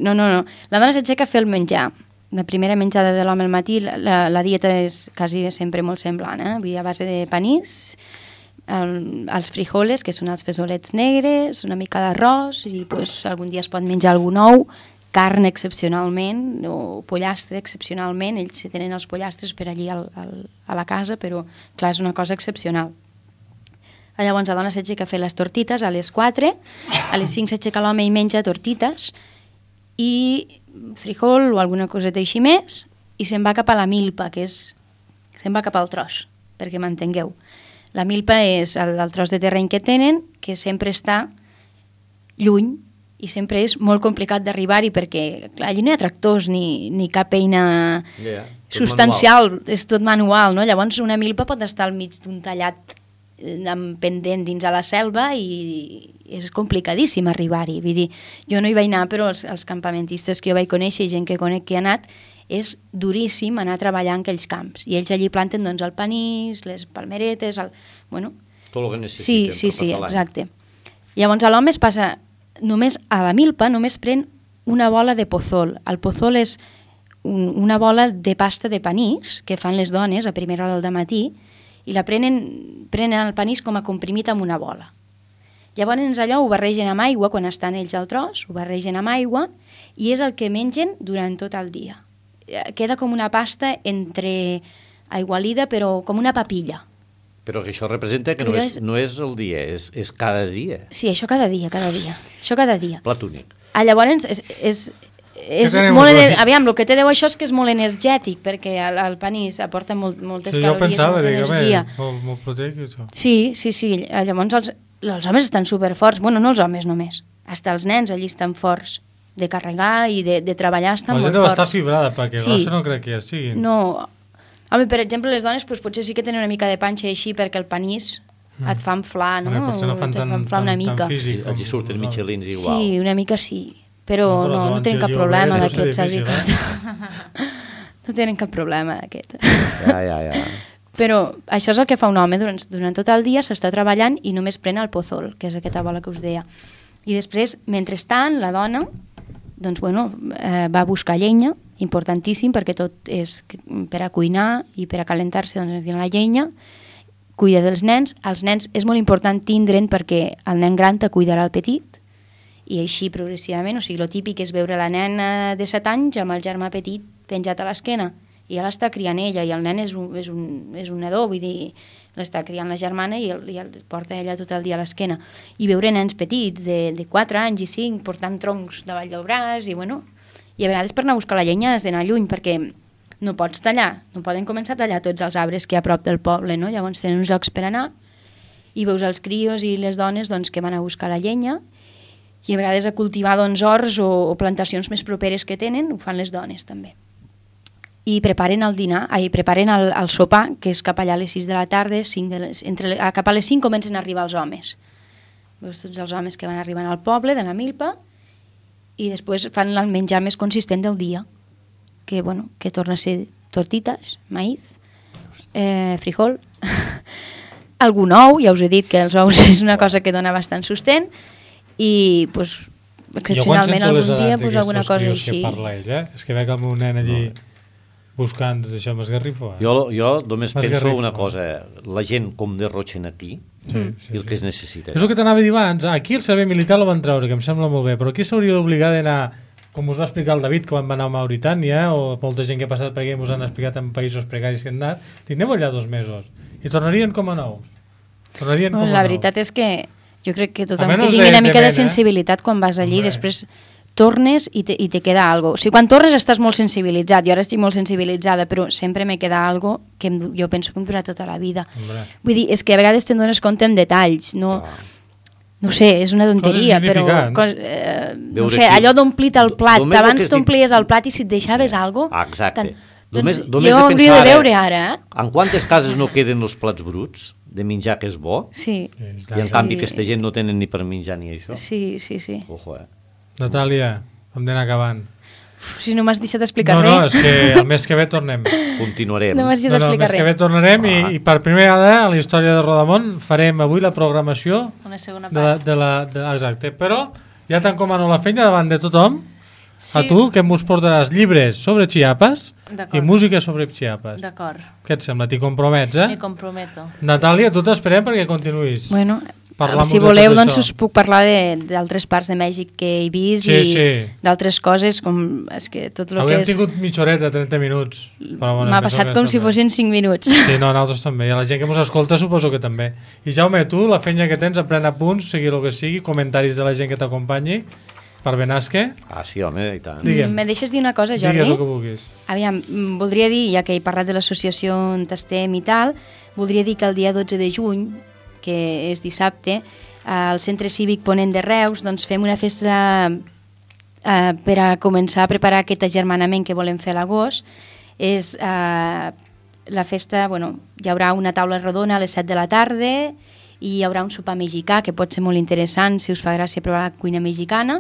No. La dona s'aixeca a fer el menjar. La primera menjada de l'home al matí, la dieta és quasi sempre molt semblant, a base de panís, els frijoles, que són els fesolets negres, una mica d'arròs, i pues, algun dia es pot menjar algun ou, carn excepcionalment, o pollastre excepcionalment. Ells tenen els pollastres per allí a la casa, però clar, és una cosa excepcional. Llavors la dona s'aixeca a fer les tortites a les 4, a les 5 s'aixeca l'home i menja tortites i frijol o alguna coseta així més, i se'n va cap a la milpa, que és... se'n va cap al tros, perquè m'entengueu. La milpa és el tros de terreny que tenen, que sempre està lluny i sempre és molt complicat d'arribar-hi perquè clar, allí no hi ha tractors ni cap eina substancial, és tot manual, no? Llavors una milpa pot estar al mig d'un tallat amb pendent dins a la selva i és complicadíssim arribar-hi. Vull dir, jo no hi vaig anar, però els campamentistes que jo vaig conèixer i gent que conec que ha anat, és duríssim anar a treballar en aquells camps. I ells allí planten doncs, el panís, les palmeretes, bueno... Tot el que necessiten. Sí, exacte. Llavors l'home es passa només a la milpa, només pren una bola de pozol. El pozol és una bola de pasta de panís que fan les dones a primera hora del matí i la prenen el panís com a comprimit amb una bola. Llavors allò ho barregen amb aigua, quan estan ells al tros, ho barregen amb aigua i és el que mengen durant tot el dia. Queda com una pasta entre aigualida, però com una papilla. Però que això representa que no és el dia, és cada dia. Sí, això cada dia. Això cada dia. Plat únic. Llavors és molt... Aviam, el que té això és que és molt energètic, perquè el panís aporta moltes calories, molta energia. Molt proteic, això. Sí. Llavors els homes estan superforts. Bueno, no els homes només. Hasta els nens allí estan forts. De carregar i de treballar estan molt forts. La gent deu estar fibrada, perquè grossa no crec que ja sigui. No. Home, per exemple, les dones potser sí que tenen una mica de panxa així perquè el panís et fa inflar, no? Potser no fan tant físic. Allí surten michelins igual. Sí, una mica sí. Però no tenen cap problema d'aquest, la veritat. No tenen cap problema d'aquest. Ja. Però això és el que fa un home. Durant tot el dia s'està treballant i només pren el pozol, que és aquesta bola que us deia. I després, mentrestant, la dona doncs, va a buscar llenya, importantíssim, perquè tot és per a cuinar i per a calentar-se, doncs la llenya, cuida dels nens. Els nens és molt important tindre'n perquè el nen gran te cuidarà el petit, i així progressivament, o sigui, el típic és veure la nena de 7 anys amb el germà petit penjat a l'esquena, i ja l'està criant ella, i el nen és un nadó, vull dir, l'està criant la germana i el porta ella tot el dia a l'esquena. I veure nens petits de 4 anys i 5 portant troncs davall del braç i a vegades per anar a buscar la llenya has d'anar lluny perquè no pots tallar, no poden començar a tallar tots els arbres que hi ha a prop del poble, no? Llavors tenen uns llocs per anar i veus els crios i les dones doncs, que van a buscar la llenya i a vegades a cultivar doncs, horts o plantacions més properes que tenen, ho fan les dones també. I preparen el dinar, preparen el sopar, que és cap allà a les 6 de la tarda, cap a les 5 comencen a arribar els homes. Veus tots els homes que van arribant al poble, de la milpa, i després fan el menjar més consistent del dia, que torna a ser tortites, maïz, frijol, algun ou, ja us he dit que els ous és una cosa que dona bastant sostent, i excepcionalment algun dia alguna cosa així. Que parla ell, és que veig el meu nen allí buscant això m'esgarrifo. Jo només penso una cosa, la gent com derrotxen aquí i el que es necessita. És el que t'anava a dir abans, aquí el servei militar el van treure, que em sembla molt bé, però aquí s'hauria d'obligar d'anar, com us va explicar el David quan va anar a Mauritània, o molta gent que ha passat per aquí us han explicat en països precaris que han anat, i aneu allà 2 mesos i tornarien com a nous. La veritat és que jo crec que tothom que tingui una mica de sensibilitat quan vas allí, després tornes i te queda algo. O sigui, quan tornes estàs molt sensibilitzat, jo ara estic molt sensibilitzada, però sempre me queda algo que jo penso que em durarà tota la vida. Vull dir, és que a vegades te'n dones compte en detalls, no sé, és una tonteria, però no sé, allò d'omplir-te el plat, abans t'omplies el plat i si et deixaves algo... Exacte. Doncs jo hauria de veure ara. En quantes cases no queden els plats bruts de menjar que és bo? Sí. I en canvi aquesta gent no tenen ni per menjar ni això? Sí. Ojo, Natàlia, hem d'anar acabant. Si no m'has deixat explicar res. No, és que el mes que ve tornem. Continuarem. No m'has deixat explicar res. El mes que ve tornarem i per primera vegada a la història de Rodamont farem avui la programació una segona part. Exacte, però ja t'encomano la feina davant de tothom. A tu, que mos portaràs llibres sobre Chiapas D'acord. i música sobre Chiapas. D'acord, Què et sembla? T'hi compromets, eh? m'hi comprometo. Natàlia, tu t'esperem perquè continuïs. Bueno, Parlar si molt de voleu, tot doncs això. us puc parlar d'altres parts de Mèxic que he vist Sí, i sí. d'altres coses, com és que tot el Avui que hem és... tingut mitja horeta, 30 minuts. Però bueno, M'ha penso passat que com està si bé. fossin 5 minuts. Sí, no, nosaltres també. I a la gent que ens escolta suposo que també. I Jaume, tu, la feina que tens, pren apunts, sigui el que sigui, comentaris de la gent que t'acompanyi, per Benasque. Ah, sí, home, i tant. Digue'm. Me deixes dir una cosa, Jordi? Digues el que vulguis. Aviam, voldria dir, ja que he parlat de l'associació on estem i tal, voldria dir que el dia 12 de juny, que és dissabte, al Centre Cívic Ponent de Reus, doncs fem una festa per a començar a preparar aquest agermanament que volem fer a l'agost. És la festa, bueno, hi haurà una taula rodona a les 7 de la tarda i hi haurà un sopar mexicà que pot ser molt interessant si us fa gràcia provar la cuina mexicana,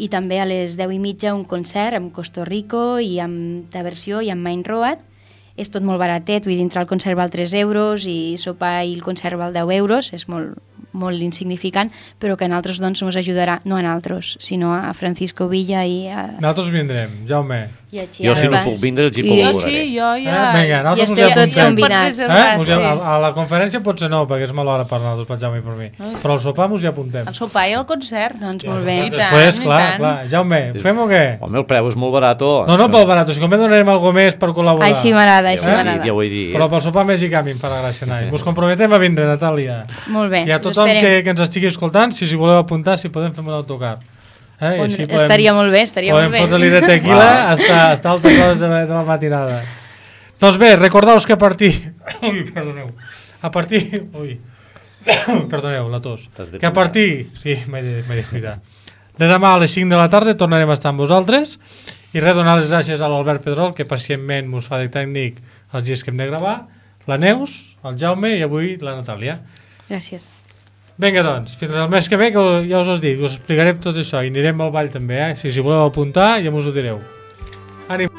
i també a les 10:30 un concert amb Costa Rico i amb diversió i amb Main Road. És tot molt baratet, vull dir, entrar al concert val 3 euros i sopar i el concert val 10 euros, és molt insignificant, però que a nosaltres doncs ens ajudarà, no a nosaltres, sinó a Francisco Villa i a Nosaltres vindrem, Jaume. Jo si no puc vindre els hi I- Jo col·laboraré. sí, jo ja... Vinga, nosaltres I us esteu hi tots apuntem. convidats. A la conferència potser no, perquè és mala hora per nosaltres, per Jaume i per mi. Però al sopar us hi apuntem. El sopar i el concert. Doncs Ja, molt bé. I tant, Després, i clar, tant. clar. Jaume, fem o què? Home, el preu és molt barat. No, no pel barat, si com donarem alguna més per col·laborar. Així m'agrada, així Ja ho he dit, m'agrada. ja ho he dit. Però pel sopar mexicà a mi em farà gràcia anar. Us comprometem a vindre, Natàlia. Molt bé, I a us tothom esperem. que ens estigui escoltant, si voleu apuntar, si podem fer un autocar. I així Estaria molt bé, estaria molt podem bé. fotre-li de tequila hasta altes hores de la matinada. Doncs bé, recordeu-vos que a partir... Ui, perdoneu. A partir... Ui. Perdoneu, la tos. T'has de Que a cuidar. partir... Sí, m'he de cuidar. De demà a les 5 de la tarda tornarem a estar amb vosaltres i res, donar les gràcies a l'Albert Pedrol, que pacientment mos fa de tècnic els dies que hem de gravar, la Neus, el Jaume i avui la Natàlia. Gràcies. Vinga, doncs, fins al mes que ve, que ja us ho dic, us explicarem tot això i anirem al ball també, si voleu apuntar ja us ho direu. Ànim!